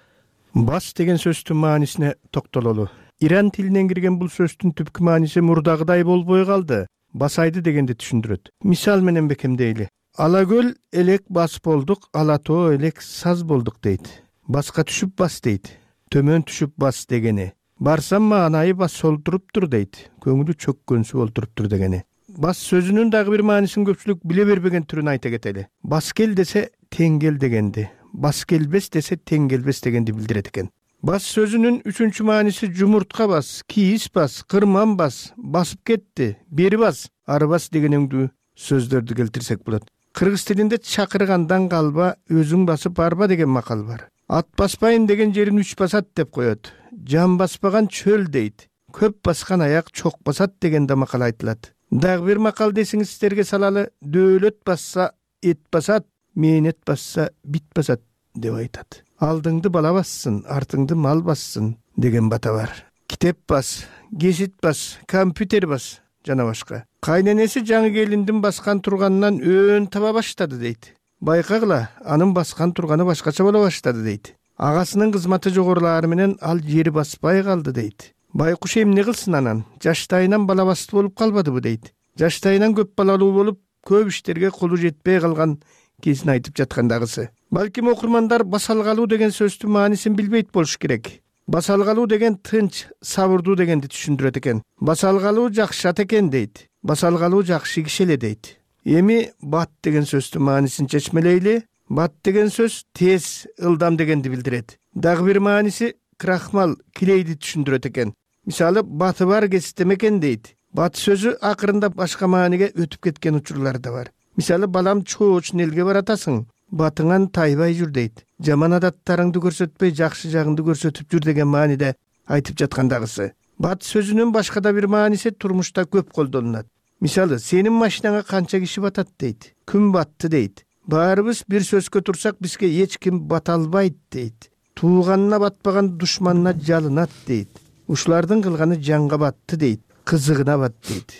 Бас деген сөздүн маанисине токтололу. Иран тилинен кирген бул сөздүн түпкү мааниси мурдагыдай болбой калды. Басайды дегенди түшүндүрөт. Мисал менен бекемдейли. Алакөл элек бас болдук, алатоо элек саз болдук дейт. Баска түшүп бас дейт. Төмөн түшүп бас дегени. Барсам маанайы бас олтуруптур дейт. Көңүлү чөккөнсү олтуруптур дегени. Бас сөзүнүн дагы бир маанисин көпчүлүк биле бербеген түрүн айта кетели. Бас кел десе тең кел дегенди. Бас келбес десе тең келбес дегенди билдирет экен. Бас сөзүнүн үчүнчү мааниси жумуртка бас, кийиз бас, кырман бас, басып кетти, бери бас, ары бас дегенеңдүү сөздөрдү келтирсек болот. Кыргыз тилинде чакыргандан калба, өзүң басып арба деген макал бар. Ат баспайын деген жерин үч басат деп коет. Жан баспаган чөл дейт. Көп баскан аяк чок басат деген да макал айтылат. Дагы бир макал десиңиз сиздерге салалы, дөөлөт басса эт басат, мээнет басса бит басат деп айтат. Алдыңды бала бассын, артыңды мал бассын деген бата бар. Китеп бас, гезит бас, компьютер бас жана башка. Кайненеси жаңы келиндин баскан турганынан өн таба баштады дейт. Байкагыла, анын баскан турганы башкача боло баштады дейт. Агасынын кызматы жогорулаары менен ал жери баспай калды дейт. Байкуш эмне кылсын анан? Жаштайынан бала басты болуп калбадыбы дейт. Жаштайынан көп балалуу болуп, көп иштерге колу жетпей калган кезин айтып жаткандагысы. Балким окурмандар басалгалуу деген сөздүн маанисин билбейт болуш керек. Басалгалуу деген тынч, сабырдуу дегенди түшүндүрөт экен. Басалгалуу жакшы ат экен дейт. Басалгалуу жакшы киши эле дейт. Эми бат деген сөздүн маанисин чечмелейли. Бат деген сөз тез, ылдам дегенди билдирет. Дагы бир мааниси крахмал, килейди түшүндүрөт экен. Мисалы, баты бар кестемекен дейт. Бат сөзү акырында башка мааниге өтүп кеткен учурлар да бар. Мисалы, балам чоочун элге баратасың, батыңан тайбай жүр дейт. Жаман адаттарыңды көрсөтпөй, жакшы жагыңды көрсөтүп жүр деген мааниде айтып жаткандагысы. Бат сөзүнүн башка да бир мааниси турмушта көп колдонулат. Мисалы, сенин машинаңа канча киши батат дейт. Күн батты дейт. Баарыбыз бир сөзгө турсак бизге эч ким бата албайт дейт. Тууганына батпаган душманына жалынат дейт. Ушулардын кылганы жанга батты дейт. Кызыгына бат дейт.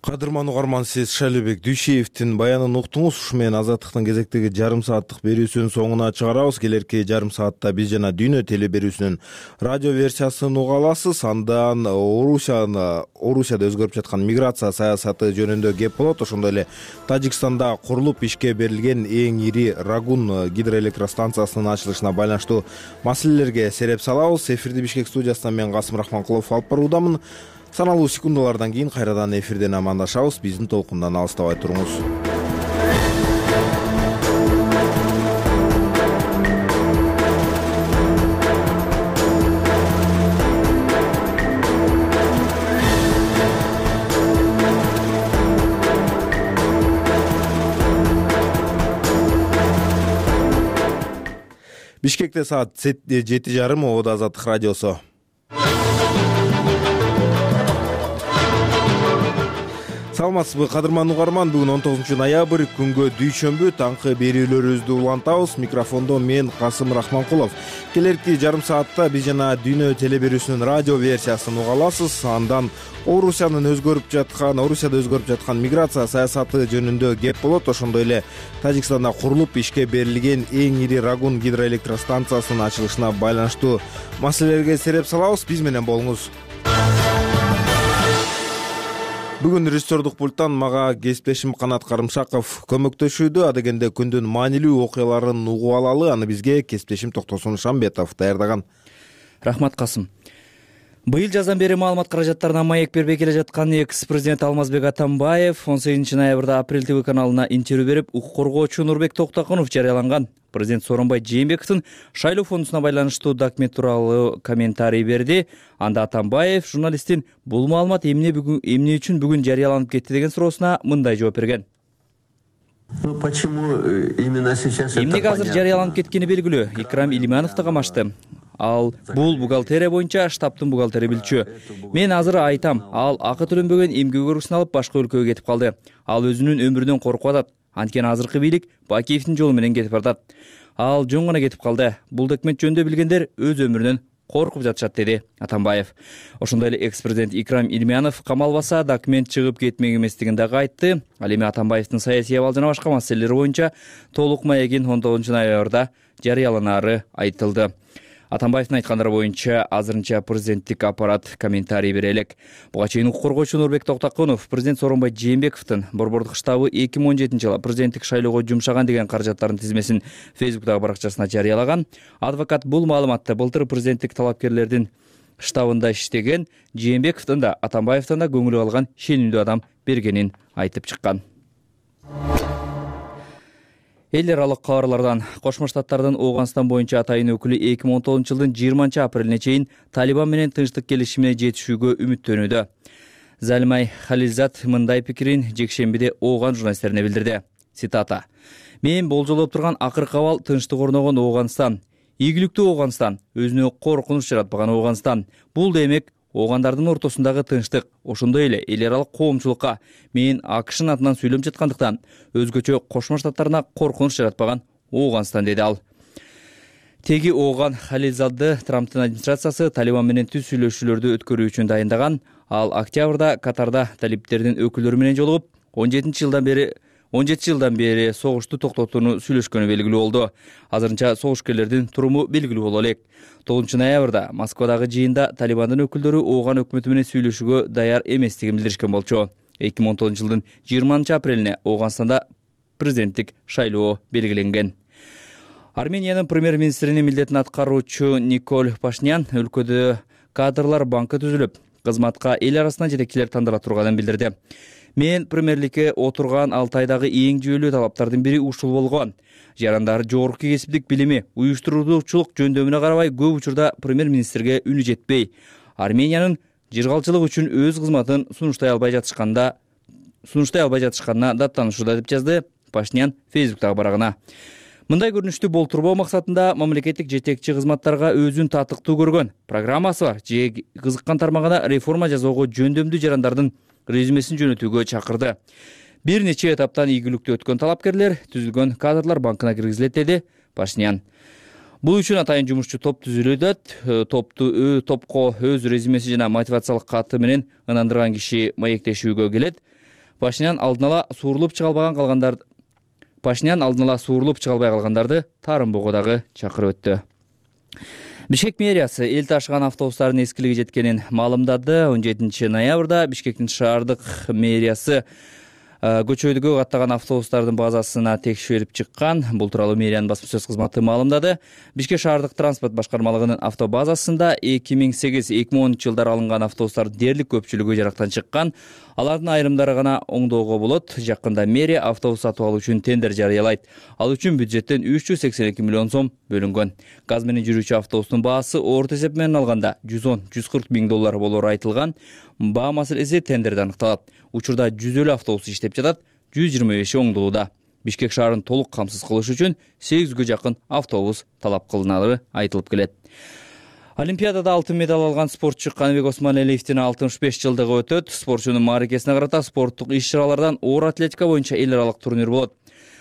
Кадырман угарман, сиз Шайлообек Дүйшеевдин баянын уктуңуз. Ушу менен Азаттыктын кезектеги жарым сааттык берүүсүнүн соңуна чыгарабыз. Келерки жарым саатта биз жана Дүйнө теле берүүсүнүн радио версиясын уга аласыз. Андан Орусияда өзгөрүп жаткан миграция саясаты жөнүндө кеп болот. Ошондой эле Тажикстанда курулуп ишке берилген эң ири Рагун гидроэлектростанциясынын ачылышына байланыштуу маселелерге сереп салабыз. Эфирди Бишкек студиясынан мен Касым Рахманкулов алып баруудамын. Саналуу секундалардан кийин кайрадан эфирден амандашабыз. Биздин толкундан алыстабай туруңуз. Бишкекте саат 7:30, Ободо Азаттык радиосу. Саламатсызбы, кадырман угарман. Бүгүн 19 ноябрь, күнгө дүйшөмбү, таңкы берүүлөрүбүздү улантабыз. Микрофондо мен Касым Рахманкулов. Келерки жарым саатта биз жана Дүйнө телеберүүсүнүн радио версиясын уга аласыз. Андан Орусияда өзгөрүп жаткан миграция саясаты жөнүндө кеп болот. Ошондой эле Тажикстанда курулуп ишке берилген эң ири Рагун гидроэлектростанциясынын ачылышына байланыштуу маселелерге сереп салабыз. Биз менен болуңуз. Бүгүн режиссердук пульттан мага кесиптешим Канат Карымшаков көмөктөшүүдө. Адегенде күндүн маанилүү окуяларын угуп алалы. Аны бизге кесиптешим Токтосун Шамбетов даярдаган. Рахмат, Касым. Быйыл жаздан бери маалымат каражаттарына маек бербей келе жаткан экс-президент Алмазбек Атамбаев 18 ноябрда Апрель ТВ каналына интервью берип, укук коргоочу Нурбек Токтокунов жарыяланган президент Сооронбай Жээнбековдун шайлоо фондусуна байланыштуу документ тууралуу комментарий берди. Анда Атамбаев журналисттин бул маалымат эмне үчүн бүгүн жарыяланып кетти деген суроосуна мындай жооп берген. Эмнеге азыр жарыяланып кеткени белгилүү. Икрам Илимановду камашты. Ал бул бухгалтерия боюнча штабтын бухгалтери билчү. Мен азыр айтам, ал акы төлөнбөгөн эмгек өргүсүн алып башка өлкөгө кетип калды. Ал өзүнүн өмүрүнөн коркуп атат. Анткени азыркы бийлик Бакиевдин жолу менен кетип баратат. Ал жөн гана кетип калды. Бул документ жөнүндө билгендер өз өмүрүнөн коркуп жатышат, деди Атамбаев. Ошондой эле экс-президент Икрам Илиманов камалбаса документ чыгып кетмек эместигин дагы айтты. Ал эми Атамбаевдин саясий абал жана башка маселелер боюнча толук маегин 19 ноябрда жарыяланары айтылды. Атамбаевдин айткандары боюнча азырынча президенттик аппарат комментарий бере элек. Буга чейин укук коргоочу Нурбек Токтокунов президент Сооронбай Жээнбековдун борбордук штабы 2017 жылы президенттик шайлоого жумшаган деген каражаттардын тизмесин Фейсбуктагы баракчасына жарыялаган. Адвокат бул маалыматты былтыр президенттик талапкерлердин штабында иштеген Жээнбековдун да Атамбаевдин да көңүлү калган шенемдүү адам бергенин айтып чыккан. Эл аралык кабарлардан Кошмо Штаттардын Ооганстан боюнча атайын өкүлү 2019 жылдын 20 апрелине чейин Талибан менен тынчтык келишимине жетишүүгө үмүттөнүүдө. Залимай Халилзад мындай пикирин жекшембиде Ооган журналисттерине билдирди. Цитата: "Мен болжолоп турган акыркы абал тынчтык орногон Ооганстан, ийгиликтүү Ооганстан, өзүнө коркунуч жаратпаган Ооганстан. Бул демек Оогандардын ортосундагы тынчтык, ошондой эле эл аралык коомчулукка мен АКШнын атынан сүйлөп жаткандыктан өзгөчө Кошмо Штаттарына коркунуч жаратпаган Ооганстан", деди ал. Теги Ооган Халилзадды Трамптын администрациясы Талибан менен түз сүйлөшүүлөрдү өткөрүү үчүн дайындаган. Ал октябрда Катарда талибтердин өкүлдөрү менен жолугуп, 17 жылдан бери согушту токтотууну сүйлөшкөнү белгилүү болду. Азырынча согушкерлердин туруму белгилүү боло элек. 9 ноябрда Москвадагы жыйында Талибандын өкүлдөрү Ооган өкмөтү менен сүйлөшүүгө даяр эместигин билдиришкен болчу. 2019 жылдын 20 апрелине Ооганстанда президенттик шайлоо белгиленген. Армениянын премьер-министринин милдетин аткаруучу Николь Пашинян өлкөдө кадрлар банкы түзүлүп, кызматка эл арасынан жетекчилер тандала турганын билдирди. "Мен премьерликке отурган 6 айдагы эң жүйөлүү талаптардын бири ушул болгон. Жарандар жогорку кесиптик билими, уюштуруучулук жөндөмүнө карабай көп учурда премьер-министрге үнү жетпей, Армениянын жыргалчылык үчүн өз кызматын сунуштай албай жатышканына даттанышууда", деп жазды Пашинян Фейсбуктагы барагына. Мындай көрүнүштү болтурбоо максатында мамлекеттик жетекчи кызматтарга өзүн татыктуу көргөн программасы бар же кызыккан тармагына реформа жасоого жөндөмдүү жарандардын резюмесин жөнөтүүгө чакырды. Бир нече этаптан ийгиликтүү өткөн талапкерлер түзүлгөн кадрлар банкына киргизилет, деди Пашинян. Бул үчүн атайын жумушчу топ түзүлөт. Топко өз резюмеси жана мотивациялык каты менен ынандырган киши маектешүүгө келет. Пашинян алдын ала суурулуп чыга албай калгандарды таарынбоого дагы чакырып өттү. Бишкек мэриясы эл ташыган автобустардын эскилиги жеткенин маалымдады. 17 ноябрда Бишкектин шаардык мэриясы көчөдөгү каттаган автобустардын базасына текшерип чыккан. Бул тууралуу мэриянын басма сөз кызматы маалымдады. Бишкек шаардык транспорт башкармалыгынын автобазасында 2008-2010 жылдары алынган автобустар дээрлик көпчүлүгү жарактан чыккан. Алардын айрымдары гана оңдоого болот. Жакында мэрия автобус сатып алуу үчүн тендер жарыялайт. Ал үчүн бюджеттен 382 миллион сом бөлүнгөн. Газ менен жүрүүчү автобустун баасы орто эсеп менен алганда 110-140 миң доллар болору айтылган. Баа маселеси тендерде аныкталат. Учурда 100 автобус иштеп жатат, 125 оңдолууда. Бишкек шаарын толук камсыз кылыш үчүн 800гө жакын автобус талап кылынары айтылып келет. Олимпиадада алтын медаль алган спортчу Каныбек Осмоналиевдин 65 жылдыгы өтөт. Спортчунун мааракесине карата спорттук иш-чаралардан оор атлетика боюнча эл аралык турнир болот.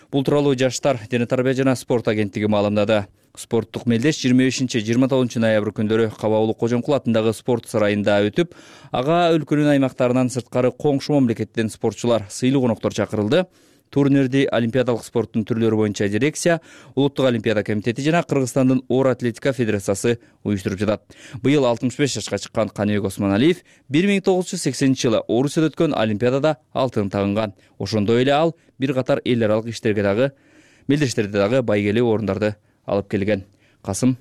Бул тууралуу Жаштар, дене тарбия жана спорт агенттиги маалымдады. Спорттук мелдеш 25-29 ноябрь күндөрү Кабаулу Кожомкул атындагы спорт сарайында өтүп, ага өлкөнүн аймактарынан сырткары коңшу мамлекеттен спортчулар, сыйлуу коноктор чакырылды. Турнирди олимпиадалык спорттун түрлөрү боюнча дирекция, Улуттук олимпиада комитети жана Кыргызстандын оор атлетика федерациясы уюштуруп жатат. Быйыл 65 жашка чыккан Каныбек Осмоналиев 1980-жылы Орусияда өткөн олимпиадада алтын тагынган. Ошондой эле ал бир катар эл аралык иштерге дагы, мелдештерде дагы байгелүү орундарды алып келген. Касым.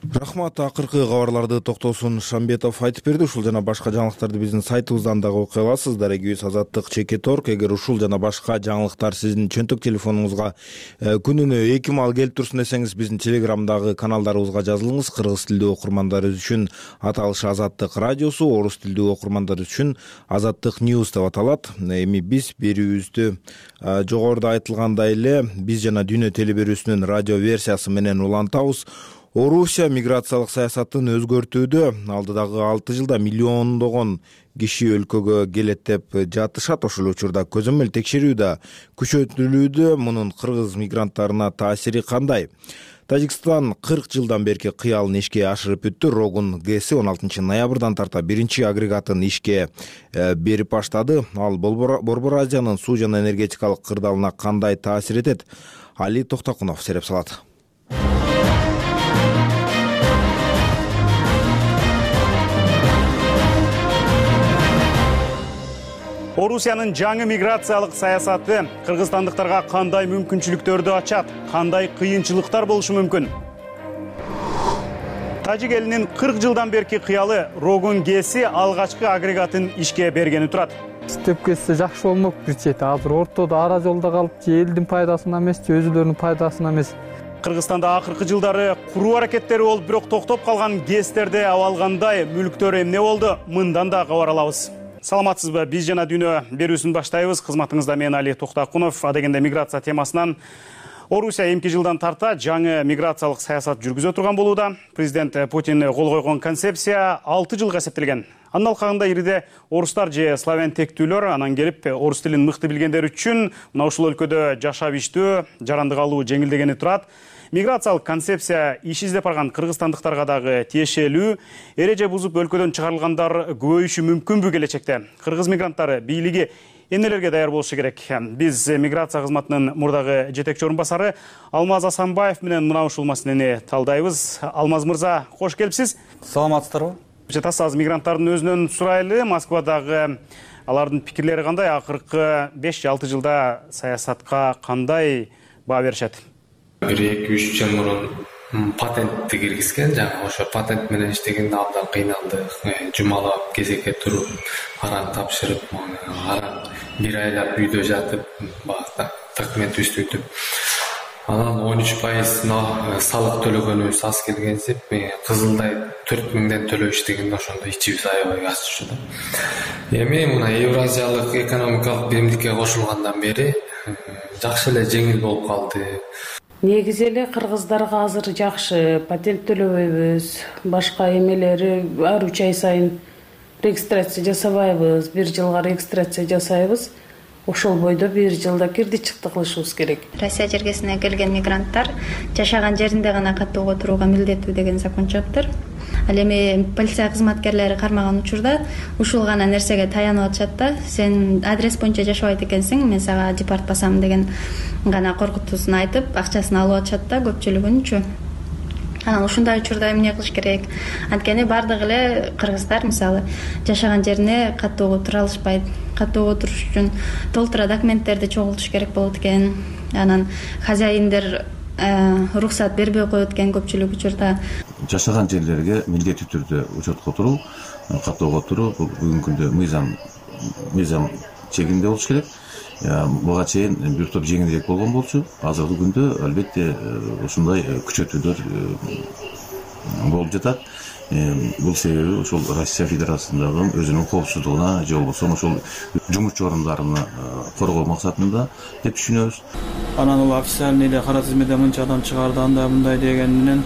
Рахмат. Акыркы кабарларды Токтосун Шамбетов айтып берди. Ушул жана башка жаңылыктарды биздин сайтыбыздан дагы окуй аласыздар. Эгибиз Азаттык.org. Эгер ушул жана башка жаңылыктар сиздин чөнтөк телефонуңузга күнүнө 2 маал келип турсун десеңиз, биздин Телеграмдагы каналдарыбызга жазылыңыз. Кыргыз тилдүү окурмандар үчүн аталышы Азаттык радиосу, орус тилдүү окурмандар үчүн Азаттык News деп аталат. Эми биз берүүбүздү жогоруда айтылгандай эле биз жана Дүйнө телеберүүсүнүн радио версиясы менен улантабыз. Орусия миграциялык саясатын өзгөртүүдө алдыдагы 6 жылда миллиондогон киши өлкөгө келет деп жатышат. Ошол учурда көзөмөл текшерүү да күчөтүлүүдө. Мунун кыргыз мигранттарына таасири кандай? Тажикстан 40 жылдан берки кыялын ишке ашырып бүттү. Рогун ГЭСи 16 ноябрдан тарта биринчи агрегатын ишке берип баштады. Ал Борбор Азиянын суу жана энергетикалык кырдаалына кандай таасир этет? Али Токтакунов сереп салат. Орусиянын жаңы миграциялык саясаты кыргызстандыктарга кандай мүмкүнчүлүктөрдү ачат, кандай кыйынчылыктар болушу мүмкүн? Тажик элинин 40 жылдан берки кыялы Рогун ГЭСи алгачкы агрегатын ишке бергени турат. Иштеп кетсе жакшы болмок бир чети. Азыр ортодо ара жолдо калып, же элдин пайдасына эмес, же өзүлөрүнүн пайдасына эмес. Кыргызстанда акыркы жылдары куруу аракеттери болуп, бирок токтоп калган ГЭСтерде абалгандай мүлктөр эмне болду? Мындан да кабар алабыз. Саламатсызбы? Биз жана Дүйнө берүүсүн баштайбыз. Кызматыңызда мен Али Токтакунов. Адегенде миграция темасынан Орусия эмки жылдан тарта жаңы миграциялык саясат жүргүзө турган болууда. Президент Путин кол койгон концепция 6 жылга эсептелген. Анын алкагында ириде орустар же славян тектүүлөр, анан келип орус тилин мыкты билгендер үчүн мына ушул өлкөдө жашап иштөө, жарандык алуу жеңилдегени турат. Миграциялык концепция иш издеп барган кыргызстандыктарга дагы тиешелүү. Эреже бузуп өлкөдөн чыгарылгандар көбөйүшү мүмкүнбү келечекте? Кыргыз мигранттары бийлиги эмнелерге даяр болушу керек? Биз миграция кызматынын мурдагы жетекчи орун басары Алмаз Асанбаев менен мына ушул маселени талдайбыз. Алмаз мырза, кош келипсиз. Саламатсыздарбы? Таз мигранттардын өзүнөн сурайлы. Москвадагы алардын пикирлери кандай? Акыркы 5-6 жылда саясатка кандай баа беришет? 1-2-3 жыл мурун патентти киргизген, жаңы ошо патент менен иштегенде абдан кыйналдык. Жумалап, кезекке туруп, аран тапшырып, аран бир айлап үйдө жатып, документ түзүп. Анан 13% салык төлөгөнүбүз аз келгенсип, кызылдай 4000ден төлөп иштегенде ошондо ичибиз аябай ачышты. Эми мына Евразиялык экономикалык биримдикке кошулгандан бери жакшы эле жеңил болуп калды. Негизи эле кыргыздарга азыр жакшы, патент төлөбөйбүз, башка эмелери ар 3 ай сайын регистрация жасабайбыз, 1 жылга регистрация жасайбыз. Ошол бойдо 1 жылда кирди-чыкты кылышыбыз керек. Россия жергесине келген мигранттар жашаган жеринде гана каттоого турууга милдеттүү деген закон чыгыптыр. Ал эми полиция кызматкерлери кармаган учурда ушул гана нерсеге таянып атышат да, сен адрес боюнча жашабайт экенсиң, мен сага депорт басам деген гана коркутуусун айтып, акчасын алып атышат да көпчүлүгүнчү. анан ушундай учурда эмне кылыш керек? Анткени баардык эле кыргыздар мисалы жашаган жерине каттуу тура алышпайт. Каттуу туруш үчүн толтура документтерди чогултуш керек болот экен. Анан хозяиндер уруксат бербей коет экен көпчүлүк учурда. Жашаган жерлерге милдеттүү түрдө учетко туруу, каттоого туруу бул бүгүнкү күндө мыйзам чегинде болуш керек. Буга чейин бир топ жеңилирээк болгон болчу. Азыркы күндө албетте ушундай күчөтүүлөр болуп жатат. Бул себеби ошол Россия Федерациясындагы өзүнүн коопсуздугуна же болбосо ошол жумушчу орундарына коргоо максатында деп түшүнөбүз. Анан ал официальный эле кара тизмеде мынча адам чыгарды, андай мындай деген менен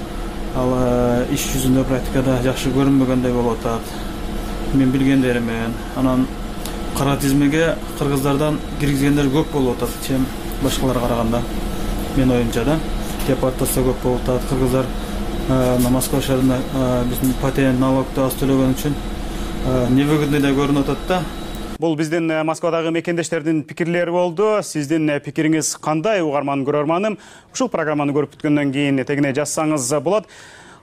ал иш жүзүндө практикада жакшы көрүнбөгөндөй болуп атат. Мен билгендеримен, анан кара тизмеге кыргыздардан киргизгендер көп болуп атат, чем башкаларга караганда. Мен оюмча да, депортация көп болуп атат. Кыргыздар Москва шаарында биздин патент налогду аз төлөгөн үчүн невыгодный да көрүнүп атат да. Бул биздин Москвадагы мекендештердин пикирлери болду. Сиздин пикириңиз кандай, угарман көрөрманым? Ушул программаны көрүп бүткөндөн кийин тегине жазсаңыз болот.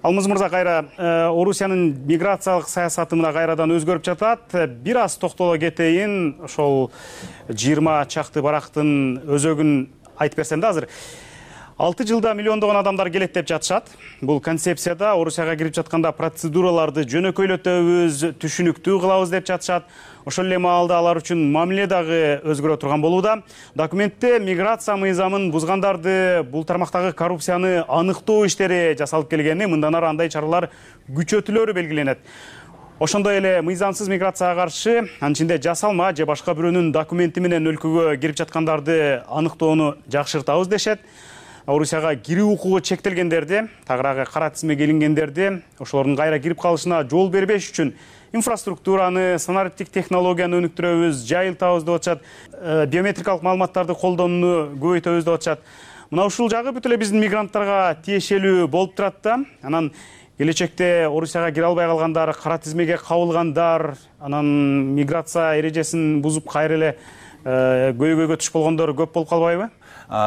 Алмаз мырза, кайра Орусиянын миграциялык саясаты мына кайрадан өзгөрүп жатат. Бир аз токтоло кетейин. Ошол 20 чакты барактын өзөгүн айтып берсем да азыр. 6 жылда миллиондогон адамдар келет деп жатышат. Бул концепцияда Орусияга кирип жатканда процедураларды жөнөкөйлөтөбүз, түшүнүктүү кылабыз деп жатышат. Ошол эле маалда алар үчүн мамиле дагы өзгөрө турган болууда. Документте миграция мыйзамын бузгандарды, бул тармактагы коррупцияны аныктоо иштери жасалып келгени, мындан ары андай чаралар күчөтүлөрү белгиленет. Ошондой эле мыйзамсыз миграцияга каршы анын ичинде жасалма же башка бирөөнүн документи менен өлкөгө кирип жаткандарды аныктоону жакшыртабыз дешет. Орусияга кирүү укугу чектелгендерди, тагыраагы кара тизмеге илингендерди, ошолордун кайра кирип калышына жол бербеш үчүн инфраструктураны, санариптик технологияны өнүктүрөбүз, жайылтабыз деп атышат. Биометрикалык маалыматтарды колдонууну көбөйтөбүз деп атышат. Мына ушул жагы бүт эле биздин мигранттарга тиешелүү болуп турат да. Анан келечекте Орусияга кире албай калгандар, кара тизмеге кабылгандар, анан миграция эрежесин бузуп кайра эле көйгөйгө түшүп болгондор көп болуп калбайбы?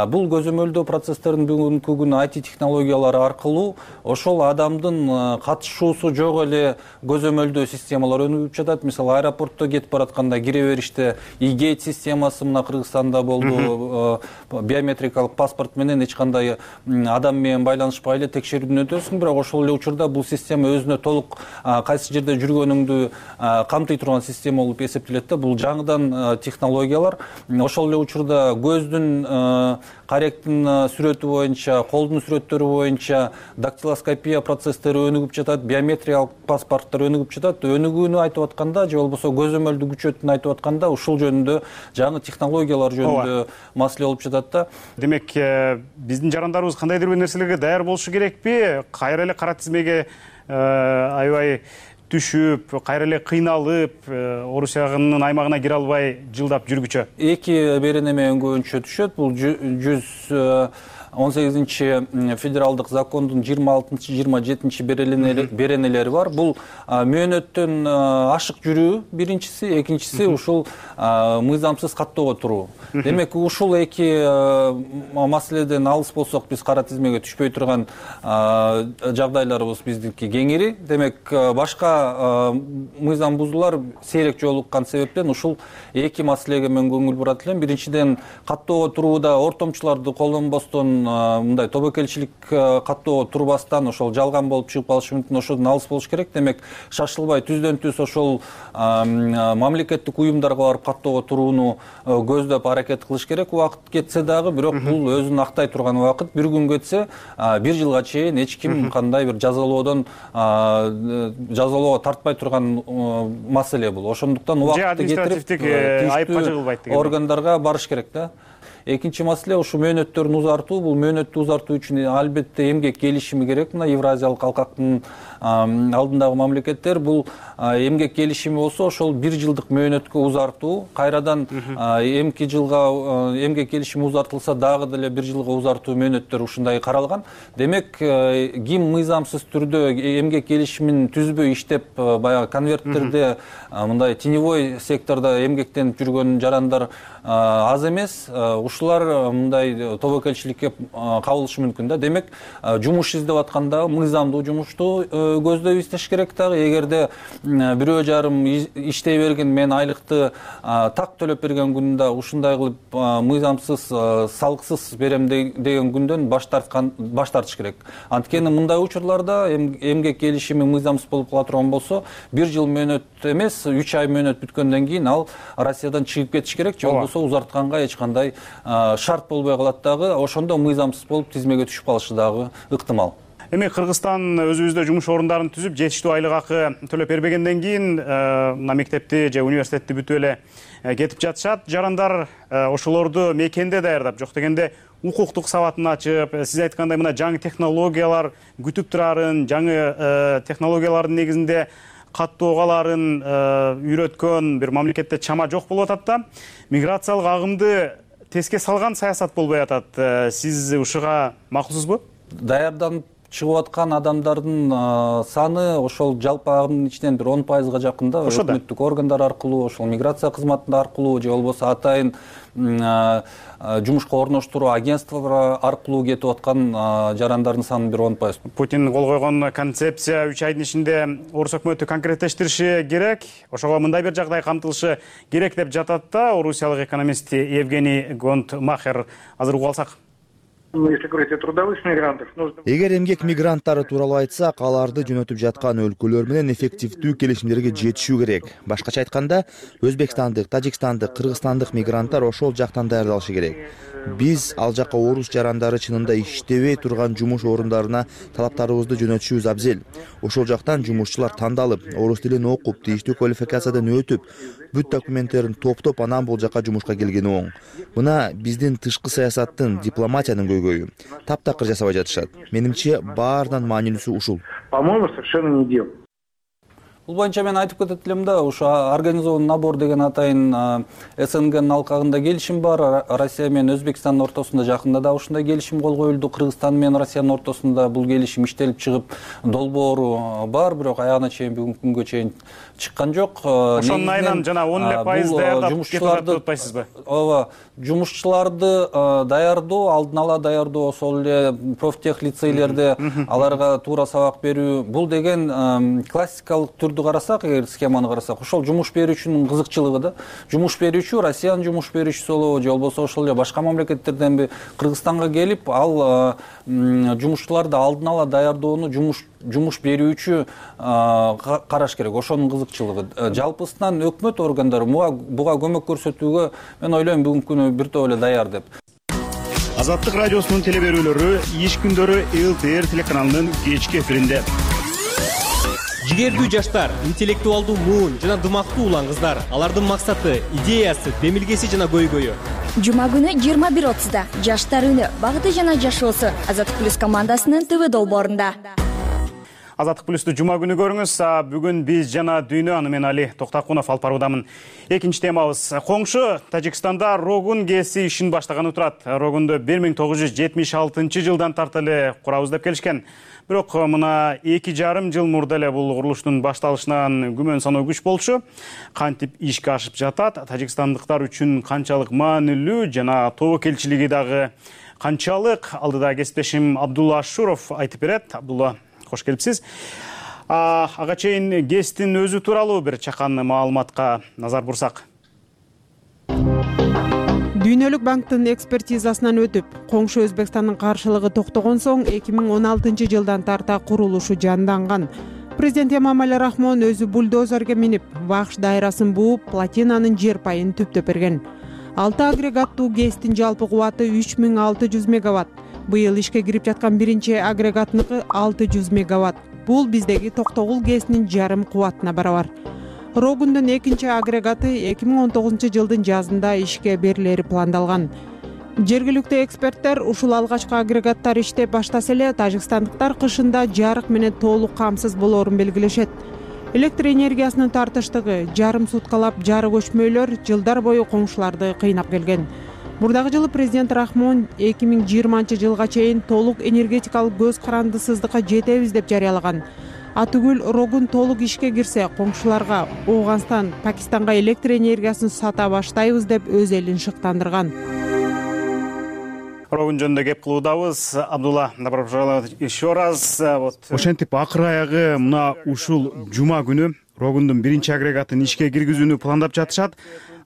Бул көзөмөлдөө процесстерин бүгүнкү күнү IT технологиялары аркылуу ошол адамдын катышуусу жок эле көзөмөлдөө системалар өнүгүп жатат. Мисалы, аэропортто кетип баратканда кире бериште e-gate системасы мына Кыргызстанда болду. Биометрикалык паспорт менен эч кандай адам менен байланышпай эле текшерүүдөн өтөсүң, бирок ошол эле учурда бул система өзүнө толук кайсы жерде жүргөнүңдү камтый турган система болуп эсептелет да. Бул жаңыдан технологиялар. Ошол эле учурда көздүн каректин сүрөтү боюнча, колдун сүрөттөрү боюнча дактилоскопия процесстери өнүгүп жатат, биометриялык паспорттор өнүгүп жатат. Өнүгүүнү айтып атканда же болбосо көзөмөлдү күчөтүүнү айтып атканда ушул жөнүндө жаңы технологиялар жөнүндө маселе болуп жатат да. Демек, биздин жарандарыбыз кандайдыр бир нерселерге даяр болушу керекпи? Кайра эле кара тизмеге аябай түшүп, кайра эле кыйналып, Орусиянын аймагына кире албай жылдап жүргүчө. Эки беренеме өңгөөнчө түшөт. Бул 118 федералдык закондун 26-27 беренелери бар. Бул мөөнөттөн ашык жүрүү биринчиси, экинчиси ушул мыйзамсыз каттоого туруу. Демек, ушул эки маселеден алыс болсок, биз кара тизмеге түшпөй турган жагдайларыбыз биздики кеңири. Демек, башка мыйзам бузуулар сейрек жолуккан себептен ушул эки маселеге мен көңүл бурат элем. Биринчиден, каттоого турууда ортомчуларды колдонбостон, мындай тобокелчилик каттоого турбастан ошол жалган болуп чыгып калышы мүмкүн, ошодон алыс болуш керек. Демек, шашылбай түздөн түз ошол мамлекеттик уюмдарга барып каттоого турууну көздөп аракет кылыш керек. Убакыт кетсе дагы, бирок бул өзүн актай турган убакыт. Бир күн кетсе, бир жылга чейин эч ким кандай бир жазалоого тартпай турган маселе бул. Ошондуктан убакытты кетирип айыпка жыгылбайт деген органдарга барыш керек да. Экинчи маселе ушу мөөнөттөрүн узартуу. Бул мөөнөттү узартуу үчүн албетте эмгек келишими керек. Мына Евразиялык алкактын алдындагы мамлекеттер бул эмгек келишими болсо, ошол 1 жылдык мөөнөткө узартуу, кайрадан эмки жылга эмгек келишими узартылса дагы деле 1 жылга узартуу мөөнөттөр ушундай каралган. Демек, ким мыйзамсыз түрдө эмгек келишимин түзбөй иштеп, баягы конверттерде мындай теневой сектордо эмгектенип жүргөн жарандар аз эмес. жумушчулар мындай тобокелчиликке кабылышы мүмкүн да. Демек жумуш издеп атканда мыйзамдуу жумушту көздөп издеш керек дагы. Эгерде бирөө жарым иштей берген, мен айлыкты так төлөп берген күндө ушундай кылып мыйзамсыз, салыксыз берем деген күндөн баш тартыш керек. Анткени мындай учурларда эмгек келишими мыйзамсыз болуп кала турган болсо, 1 жыл мөөнөт эмес, 3 ай мөөнөт бүткөндөн кийин ал Россиядан чыгып кетиш керек, же болбосо узартканга эч кандай шарт болбой калат дагы. Ошондо мыйзамсыз болуп тизмеге түшүп калышы дагы ыктымал. Эми Кыргызстан өзүбүздө жумуш орундарын түзүп, жетиштүү айлык акы төлөп бербегенден кийин мына мектепти же университетти бүтүп эле кетип жатышат. Жарандар ошолорду мекенде даярдап, жок дегенде укуктук сабатын ачып, сиз айткандай мына жаңы технологиялар күтүп турарын, жаңы технологиялардын негизинде каттооларын үйрөткөн бир мамлекетте чама жок болуп атат да. Миграциялык агымды теске салган саясат болбой атат. Сиз ушуга макулсузбу? Даярданып чыгып аткан адамдардын саны ошол жалпы агымдын ичинен бир 10%га жакында өкмөттүк органдар аркылуу, ошол миграция кызматында аркылуу же болбосо атайын жумушка орноштуруу агентстволор аркылуу кетип аткан жарандардын саны бир 10%. Путин кол койгон концепция 3 айдын ичинде орус өкмөтү конкреттештириши керек. Ошого мындай бир жагдай камтылышы керек деп жатат да орусиялык экономист Евгений Гонтмахер. Азыр угуп алсак. Если говорить о трудовых мигрантах, нужно... Эгер эмгек мигранттары тууралуу айтсак, аларды жөнөтүп жаткан өлкөлөр менен эффективдүү келишимдерге жетишүү керек. Башкача айтканда, өзбекстандык, тажикстандык, кыргызстандык мигранттар ошол жактан даярдалышы керек. Биз ал жакка орус жарандары чынында иштебей турган жумуш орундарына талаптарыбызды жөнөтүшүбүз абзел. Ошол жактан жумушчулар тандалып, орус тилин окуп, тийиштүү квалификациядан өтүп, бүт документтерин топтоп, анан бул жакка жумушка келгени оң. Мына биздин тышкы саясаттын, дипломатиянын көйгөйү. Таптакыр жасабай жатышат. Менимче баарынан маанилүүсү ушул. По-моему, совершенно не дело. Бул боюнча мен айтып кетет элем да, ушу организованный набор деген атайын СНГнын алкагында келишим бар. Россия менен Өзбекстандын ортосунда жакында да ушундай келишим кол коюлду. Кыргызстан менен Россиянын ортосунда бул келишим иштелип чыгып, долбоору бар, бирок аягына чейин бүгүнкү күнгө чейин чыккан жок. Ошонун айынан жана 10% даярдап кетип атпайсызбы? Ооба, жумушчуларды даярдоо, алдын ала даярдоо, ошол эле профтех лицейлерде аларга туура сабак берүү, бул деген классикалык түрдү карасак, эгер схеманы карасак, ошол жумуш берүүчүнүн кызыкчылыгы да. Жумуш берүүчү Россиянын жумуш берүүчүсү болобу, же болбосо ошол эле башка мамлекеттерденби Кыргызстанга келип, ал жумушчуларды алдын ала даярдоону жумуш берүүчү караш керек. Ошонун кызыкчылыгы. Жалпысынан өкмөт органдары буга көмөк көрсөтүүгө мен ойлойм бүгүнкү күнү бир топ эле даяр деп. Азаттык радиосунун теле берүүлөрү иш күндөрү ЛТР телеканалынын кечки эфиринде. Жигердүү жаштар, интеллектуалдуу муун жана дымактуу улан кыздар. Алардын максаты, идеясы, демилгеси жана көйгөйү. Жума күнү 21:30да Жаштар үнү, багыты жана жашоосу Азаттык плюс командасынын ТВ долбоорунда. Азаттык плюсту жума күнү көрүңүз. Бүгүн биз жана дүйнө, аны мен Али Токтакунов алып баруудамын. Экинчи темабыз. Коңшу Тажикстанда Рогун ГЭСи ишин баштаганы турат. Рогунду 1976 жылдан тартып курабыз деп келишкен. Бирок мына 2,5 жыл мурда эле бул курулуштун башталышынан күмөн саноо күч болчу. Кантип ишке ашып жатат, тажикстандыктар үчүн канчалык маанилүү жана тобокелчилиги дагы канчалык, алдыда кесиптешим Абдулла Ашуров айтып берет. Абдулла, кош келипсиз. Ага чейин ГЭСтин өзү тууралуу бир чакан маалыматка назар бурсак. Дүйнөлүк банктын экспертизасынан өтүп, коңшу Өзбекстандын каршылыгы токтогон соң 2016 жылдан тарта курулушу жанданган. Президент Эмомали Рахмон өзү бульдозерге минип, вакш дайрасын бууп, платинанын жер пайын түптөп берген. 6 агрегаттуу ГЭСтин жалпы кубаты 3600 мегаватт. Быйыл ишке кирип жаткан биринчи агрегатныкы 600 мегаватт. Бул биздеги Токтогул ГЭСинин жарым кубатына барабар. Рогундун экинчи агрегаты 2019 жылдын жазында ишке берилери пландалган. Жергиликтүү эксперттер ушул алгачкы агрегаттар иштеп баштаса эле тажикстандыктар кышында жарык менен толук камсыз болоорун белгилешет. Электр энергиясынын тартыштыгы, жарым суткалап жарык өчмөйлөр жылдар бою коңшуларды кыйнап келген. Мурдагы жылы президент Рахмон 2020 жылга чейин толук энергетикалык көз карандысыздыкка жетебиз деп жарыялаган. Атүгүл Рогун толук ишке кирсе, коңшуларга Ооганстан, Пакистанга электр энергиясын сата баштайбыз деп өз элин шыктандырган. Рогун жөнүндө кеп кылуудабыз. Абдулла, добро пожаловать еще раз. Ошентип акыр аягы мына ушул жума күнү Рогундун биринчи агрегатын ишке киргизүүнү пландап жатышат.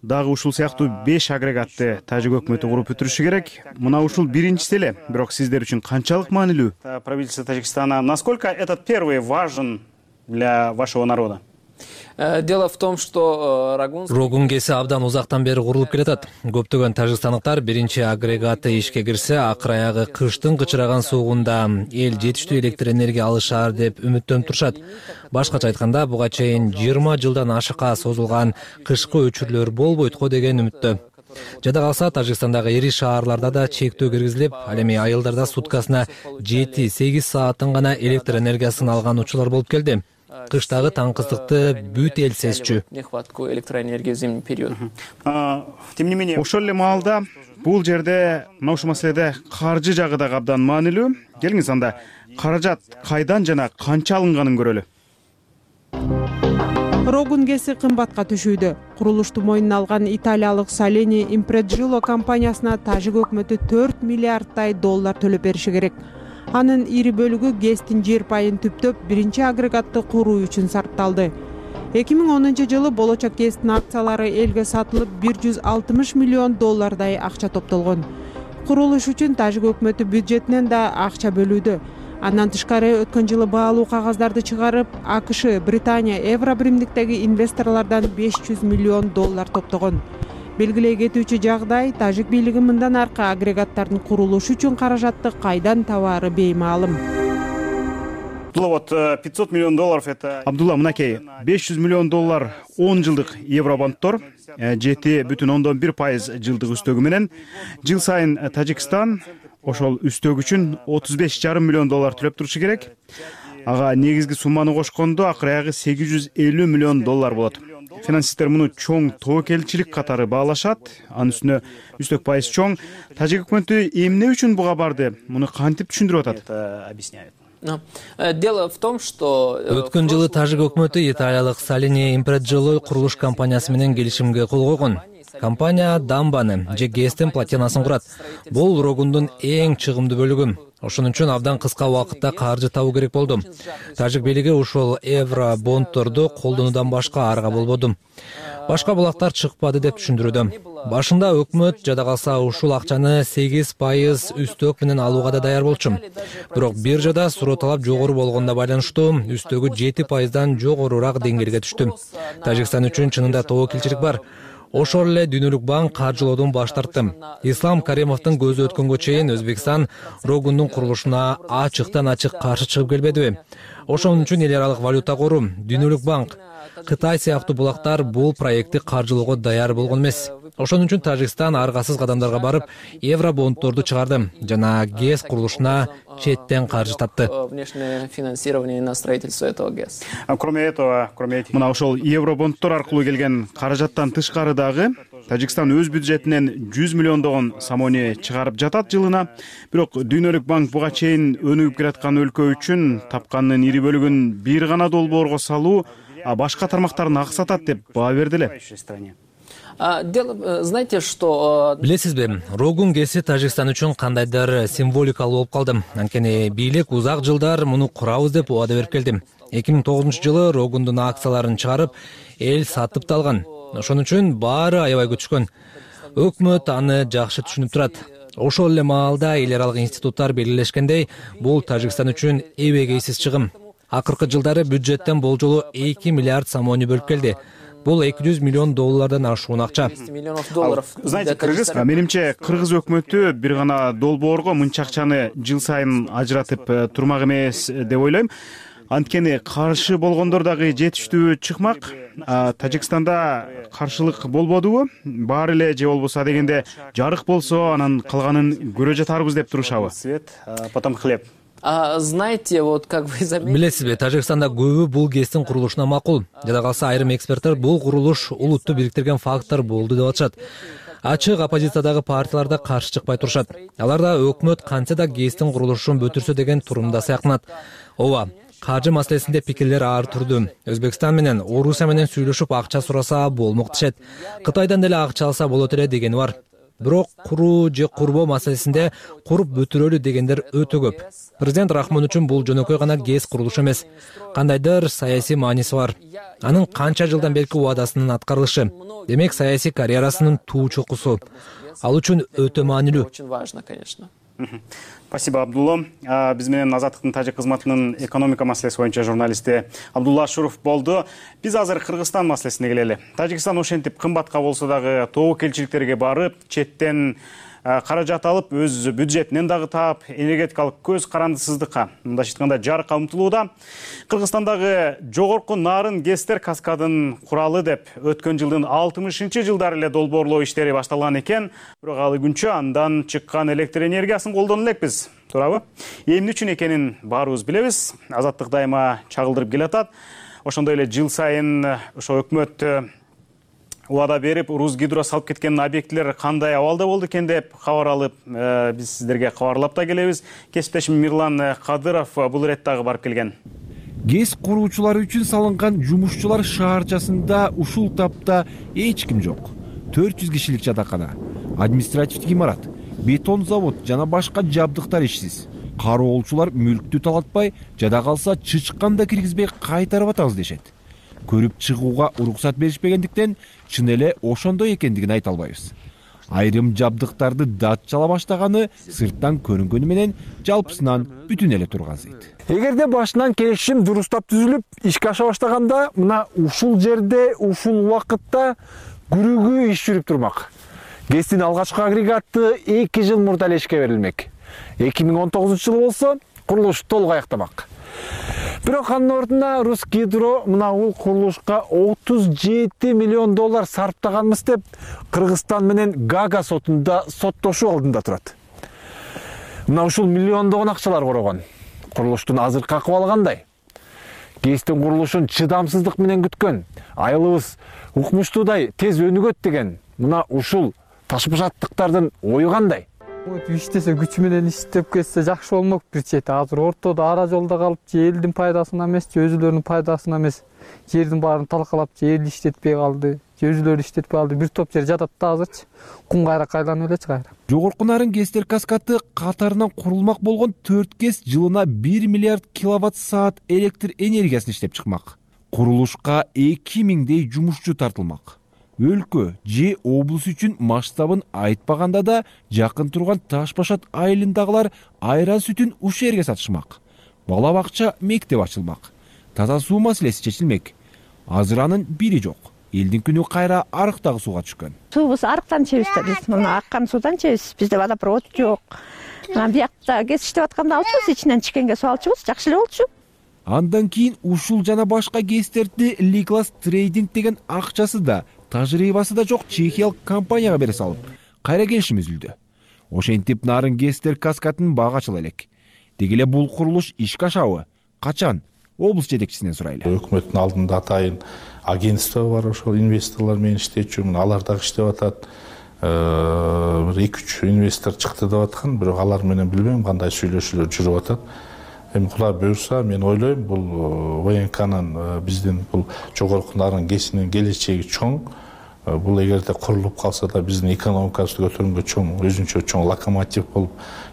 Дагы ушул сыяктуу 5 агрегатты тажик өкмөтү куруп бүтүрүшү керек. Мына ушул биринчиси эле, бирок сиздер үчүн канчалык маанилүү? Правительство Таджикистана, насколько этот первый важен для вашего народа? Дело в том, что Рогун КЭСи абдан узактан бери курулуп келатат. Көптөгөн тажикстандыктар биринчи агрегаты ишке кирсе, акыр аягы кыштын кычыраган суугунда эл жетиштүү электр энергия алышаар деп үмүттөнүп турушат. Башкача айтканда, буга чейин 20 жылдан ашыкка созулган кышкы өчүрлөр болбойт го деген үмүттө. Жада калса, Тажикстандагы ири шаарларда да чектөө киргизилип, ал эми айылдарда суткасына 7-8 сааттан гана электр энергиясын алган учурлар болуп келди. Кыштагы таңкыстыкты бүт эл сезчү. Нехватку электроэнергии в зимний период. Тем не менее, ошол эле маалда бул жерде мына ушул маселеде каржы жагы да абдан маанилүү. Келиңиз анда каражат кайдан жана канча алынганын көрөлү. Рогун КЭСи кымбатка түшүүдө. Курулушту мойнуна алган италиялык Saleni Impregilo компаниясына тажик өкмөтү 4 миллиарддай доллар төлөп бериши керек. Анын ири бөлүгү КЭСтин жер пайын түптөп биринчи агрегатты куруу үчүн сарпталды. 2010 жылы болочок КЭСтин акциялары элге сатылып 160 миллион доллардай акча топтолгон. Курулуш үчүн тажик өкмөтү бюджетинен да акча бөлүүдө. Андан тышкары өткөн жылы баалуу кагаздарды чыгарып, АКШ, Британия, Евро биримдиктеги инвесторлордон 500 миллион доллар топтогон. Белгилей кетүүчү жагдай, тажик бийлиги мындан аркы агрегаттардын курулушу үчүн каражатты кайдан табаары беймаалым. Вот 500 миллион долларов это... Абдулла, мынакей, 500 миллион доллар 10 жылдык евробонттор, 7,1% жылдык үстөгү менен. Жыл сайын Тажикстан ошол үстөк үчүн 35,5 миллион доллар төлөп турушу керек. Ага негизги сумманы кошкондо акыр аягы 850 миллион доллар болот. Финансисттер муну чоң тобокелчилик катары баалашат. Анын үстүнө үстөк пайыз чоң. Тажик өкмөтү эмне үчүн буга барды? Муну кантип түшүндүрүп атат? Дело в том, что өткөн жылы тажик өкмөтү италиялык Saleni Impregilo курулуш компаниясы менен келишимге кол койгон. Компания дамбаны же КЭСтин платинасын курат. Бул Рогундун эң чыгымдуу бөлүгү. Ошон үчүн абдан кыска убакытта каржы табуу керек болду. Тажик бийлиги ушул евро бондторду колдонуудан башка арга болбоду. Башка булактар чыкпады деп түшүндүрүүдө. Башында өкмөт жада калса ушул акчаны 8% үстөк менен алууга да даяр болчу. Бирок биржада суроо талап жогору болгондо байланыштуу үстөгү 7%дан жогорураак деңгээлге түштү. Тажикстан үчүн чынында тобокелчилик бар. Ошол эле Дүйнөлүк банк каржылоодон баш тартты. Ислам Каримовдун көзү өткөнгө чейин Өзбекстан Рогундун курулушуна ачыктан ачык каршы чыгып келбедиби? Ошон үчүн эл аралык валюта кору, Дүйнөлүк банк, Кытай сыяктуу булактар бул проектти каржылоого даяр болгон эмес. Ошон үчүн Тажикстан аргасыз кадамдарга барып, евро бондторду чыгарды жана КЭС курулушуна четтен каржы тапты. Внешнее финансирование на строительство этого ГЭС. Кроме этого, мына ошол евро бондтор аркылуу келген каражаттан тышкары дагы Тажикстан өз бюджетинен 100 миллиондогон самони чыгарып жатат жылына. Бирок Дүйнөлүк банк буга чейин өнүгүп келаткан өлкө үчүн тапканынын ири бөлүгүн бир гана долбоорго салуу, башка тармактарын аксатат деп баа берди эле. Знаете, что... Билесизби, Рогун КЭСи Тажикстан үчүн кандайдыр символикалуу болуп калды. Анткени бийлик узак жылдар муну курабыз деп убада берип келди. 2009 жылы Рогундун акцияларын чыгарып, эл сатып да алган. Ошон үчүн баары аябай күтүшкөн. Өкмөт аны жакшы түшүнүп турат. Ошол эле маалда эл аралык институттар белгилешкендей, бул Тажикстан үчүн эбегейсиз чыгым. Акыркы жылдары бюджеттен болжолу 2 миллиард самони бөлүп келди. Бул 200 миллион доллардан ашуун акча. 200 миллионов долларов. Знаете, менимче кыргыз өкмөтү бир гана долбоорго мынча акчаны жыл сайын ажыратып турмак эмес деп ойлойм. Анткени каршы болгондор дагы жетиштүү чыкмак. Тажикстанда каршылык болбодубу? Баары эле же болбосо дегенде жарык болсо, анан калганын көрө жатарбыз деп турушабы? Свет, потом хлеб. Знаете, вот как вы заметили... Билесизби, Тажикстанда көбү бул КЭСтин курулушуна макул. Жада калса айрым эксперттер бул курулуш улутту бириктирген фактор болду деп атышат. Ачык оппозициядагы партиялар да каршы чыкпай турушат. Алар да өкмөт кантсе да КЭСтин курулушун бүтүрсө деген турумда сыяктанат. Ооба, каржы маселесинде пикирлер ар турду. Өзбекстан менен Орусия менен сүйлөшүп акча сураса болмок дешет. Кытайдан деле акча алса болот эле дегени бар. бирок куруу же курбоо маселесинде куруп бүтүрөлү дегендер өтө көп. Президент Рахмон үчүн бул жөнөкөй гана ГЭС курулушу эмес, кандайдыр саясий мааниси бар. Анын канча жылдан берки убадасынын аткарылышы, демек саясий карьерасынын туу чокусу. Ал үчүн өтө маанилүү. Очень важно, конечно. Спасибо, Абдулла. Биз менен Азаттыктын тажик кызматынын экономика маселеси боюнча журналисти Абдулла Ашуров болду. Биз азыр Кыргызстан маселесине келели. Тажикстан ошентип кымбатка болсо дагы тобокелчиликтерге барып, четтен каражат алып, өз бюджетинен дагы таап, энергетикалык көз карандысыздыкка, мындайча айтканда жарыкка умтулууда. Кыргызстандагы жогорку нарын ГЭСтер каскадын куралы деп өткөн жылдын 60-жылдары эле долбоорлоо иштери башталган экен. Бирок ал күнчө андан чыккан электр энергиясын колдоно элекпиз. Туурабы? Эмне үчүн экенин баарыбыз билебиз. Азаттык дайыма чагылдырып келатат. Ошондой эле жыл сайын ошо өкмөт убада берип, Русгидро салып кеткен объектилер кандай абалда болду экен деп кабар алып, биз сиздерге кабарлап да келебиз. Кесиптешим Мирлан Кадыров бул иреттагы барып келген. ГЭС куруучулары үчүн салынган жумушчулар шаарчасында ушул тапта эч ким жок. 400 кишилик жатакана, административдик имарат, бетон завод жана башка жабдыктар ишсиз. Кароолчулар мүлктү талатпай, жада калса чычкан да киргизбей кайтарып атабыз дешет. Көрүп чыгууга уруксат беришпегендиктен чын эле ошондой экендигин айта албайбыз. Айрым жабдыктарды датчала баштаганы сырттан көрүнгөнү менен жалпысынан бүтүн эле тургансыйт. Эгерде башынан келишим дурустап түзүлүп, ишке аша баштаганда, мына ушул жерде, ушул убакытта күрүгүү иш жүрүп турмак. ГЭСтин алгачкы агрегаты 2 жыл мурда эле ишке берилмек. 2019-жылы болсо курулуш толук аякталмак. Бирок анын ордуна Русгидро мына бул курулушка 37 миллион доллар сарптаганбыз деп Кыргызстан менен Гага сотунда соттошуу алдында турат. Мына ушул миллиондогон акчалар корогон. Курулуштун азыркы акыбалы кандай? ГЭСтин курулушун чыдамсыздык менен күткөн, айылыбыз укмуштуудай тез өнүгөт деген мына ушул ташбашаттыктардын ою кандай? Иштесе күчү менен иштеп кетсе жакшы болмок бир чети. Азыр ортодо ара жолдо калып, же элдин пайдасына эмес, же өзүлөрүнүн пайдасына эмес, жердин баарын талкалап, же эл иштетпей калды, же өзүлөрү иштетпей калды. Бир топ жер жатат да азырчы. Кум кайрак айланып элечи кайра. Жогорку нарын ГЭСтер каскаты катарынан курулмак болгон 4 ГЭС жылына 1 миллиард киловатт саат электр энергиясын иштеп чыкмак. Курулушка 2000дей жумушчу тартылмак. Өлкө же облус үчүн масштабын айтпаганда да жакын турган Таш-Башат айылындагылар айра сүтүн ушул жерге сатышмак. Бала бакча, мектеп ачылмак. Таза суу маселеси чечилмек. Азыр анын бири жок. Элдин күнү кайра арыктагы сууга түшкөн. Суубуз арыктан чебиз да биз. Мына аккан суудан чебиз. Бизде водопровод жок. Биякта ГЭС иштеп атканда алчубуз, ичинен чыккенге суу алчубуз, жакшы эле болчу. Андан кийин ушул жана башка ГЭСтерди Liglas Trading деген акчасы да тажрыйбасы да жок чехиялык компанияга бере салып, кайра келишим үзүлдү. Ошентип нарын ГЭСтер каскатын бага ачыла элек. Деги эле бул курулуш ишке ашабы? Качан? Облус жетекчисинен сурайлы. Өкмөттүн алдында атайын агентство бар, ошол инвесторлор менен иштечү, алар дагы иштеп атат. 2-3 инвестор чыкты деп аткан, бирок алар менен билбейм кандай сүйлөшүүлөр жүрүп атат. Эми Кудай буюрса, мен ойлойм, бул ВНКнын биздин бул жогорку нарын ГЭСинин келечеги чоң. Бул эгерде курулуп калса да биздин экономикабызды көтөргөнгө чоң, өзүнчө чоң локомотив болуп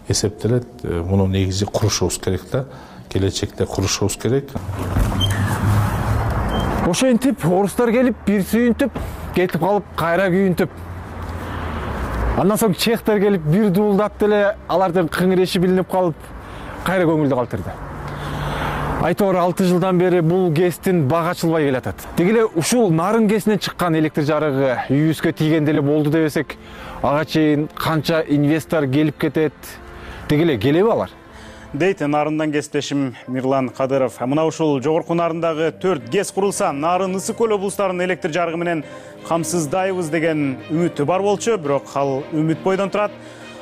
эсептелет. Муну негизи курушубуз керек да. Келечекте курушубуз керек. Ошентип орустар келип бир сүйүнтүп, кетип калып кайра күйүнтүп. Андан соң чехтер келип бир дуулдап деле алардын кыңыреши билинип калып, кайра көңүлдү калтырды. Айтор 6 жылдан бери бул ГЭСтин бага ачылбай келатат. Деги эле ушул нарын ГЭСинен чыккан электр жарыгы үйүбүзгө тийгенде эле болду дебесек, ага чейин канча инвестор келип кетет, деги эле келеби алар? Дейт нарындан кесиптешим Мирлан Кадыров. Мына ушул жогорку нарындагы 4 ГЭС курулса, нарын Ысык көл облустарынын электр жарыгы менен камсыздайбыз деген үмүтү бар болчу, бирок ал үмүт бойдон турат.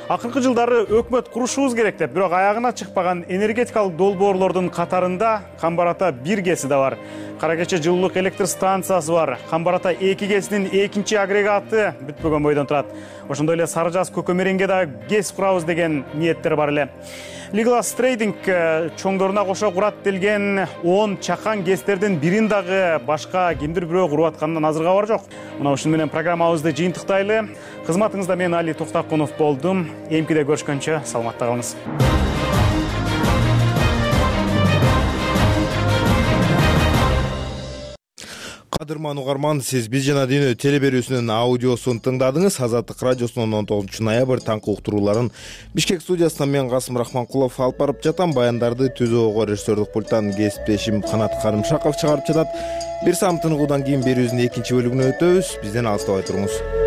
Акыркы жылдары өкмөт курушубуз керек деп, бирок аягына чыкпаган энергетикалык долбоорлордун катарында Камбарата 1 ГЭСи да бар. Кара Кече жылуулук электр станциясы бар. Камбар ата 2 КЭСинин 2-чи агрегаты бүтпөгөн бойдон турат. Ошондой эле Сары Жаз Көкөмеренге да КЭС курабыз деген ниеттер бар эле. Legalas Trading чоңдоруна кошо курат делген 10 чакан КЭСтердин бирин дагы башка кимдир бирөө куруп атканынан азыр кабар жок. Мына ушуну менен программабызды жыйынтыктайлы. Кызматыңызда мен Али Токтакунов болдум. Эмкиде көрүшкөнчө саламатта калыңыз. Кадырман угарман, сиз Биз жана дүйнө теле берүүсүнүн аудиосун тыңдадыңыз. Азаттык радиосунун 19 ноябрь таңкы уктурууларын Бишкек студиясынан мен Касым Рахманкулов алып барып жатам. Баяндарды түзүүгө режиссердик пульттан кесиптешим Канат Карымшаков чыгарып жатат. Бир саам тыныгуудан кийин берүүбүздүн 2-чи бөлүгүнө өтөбүз. Бизден алыстабай туруңуз.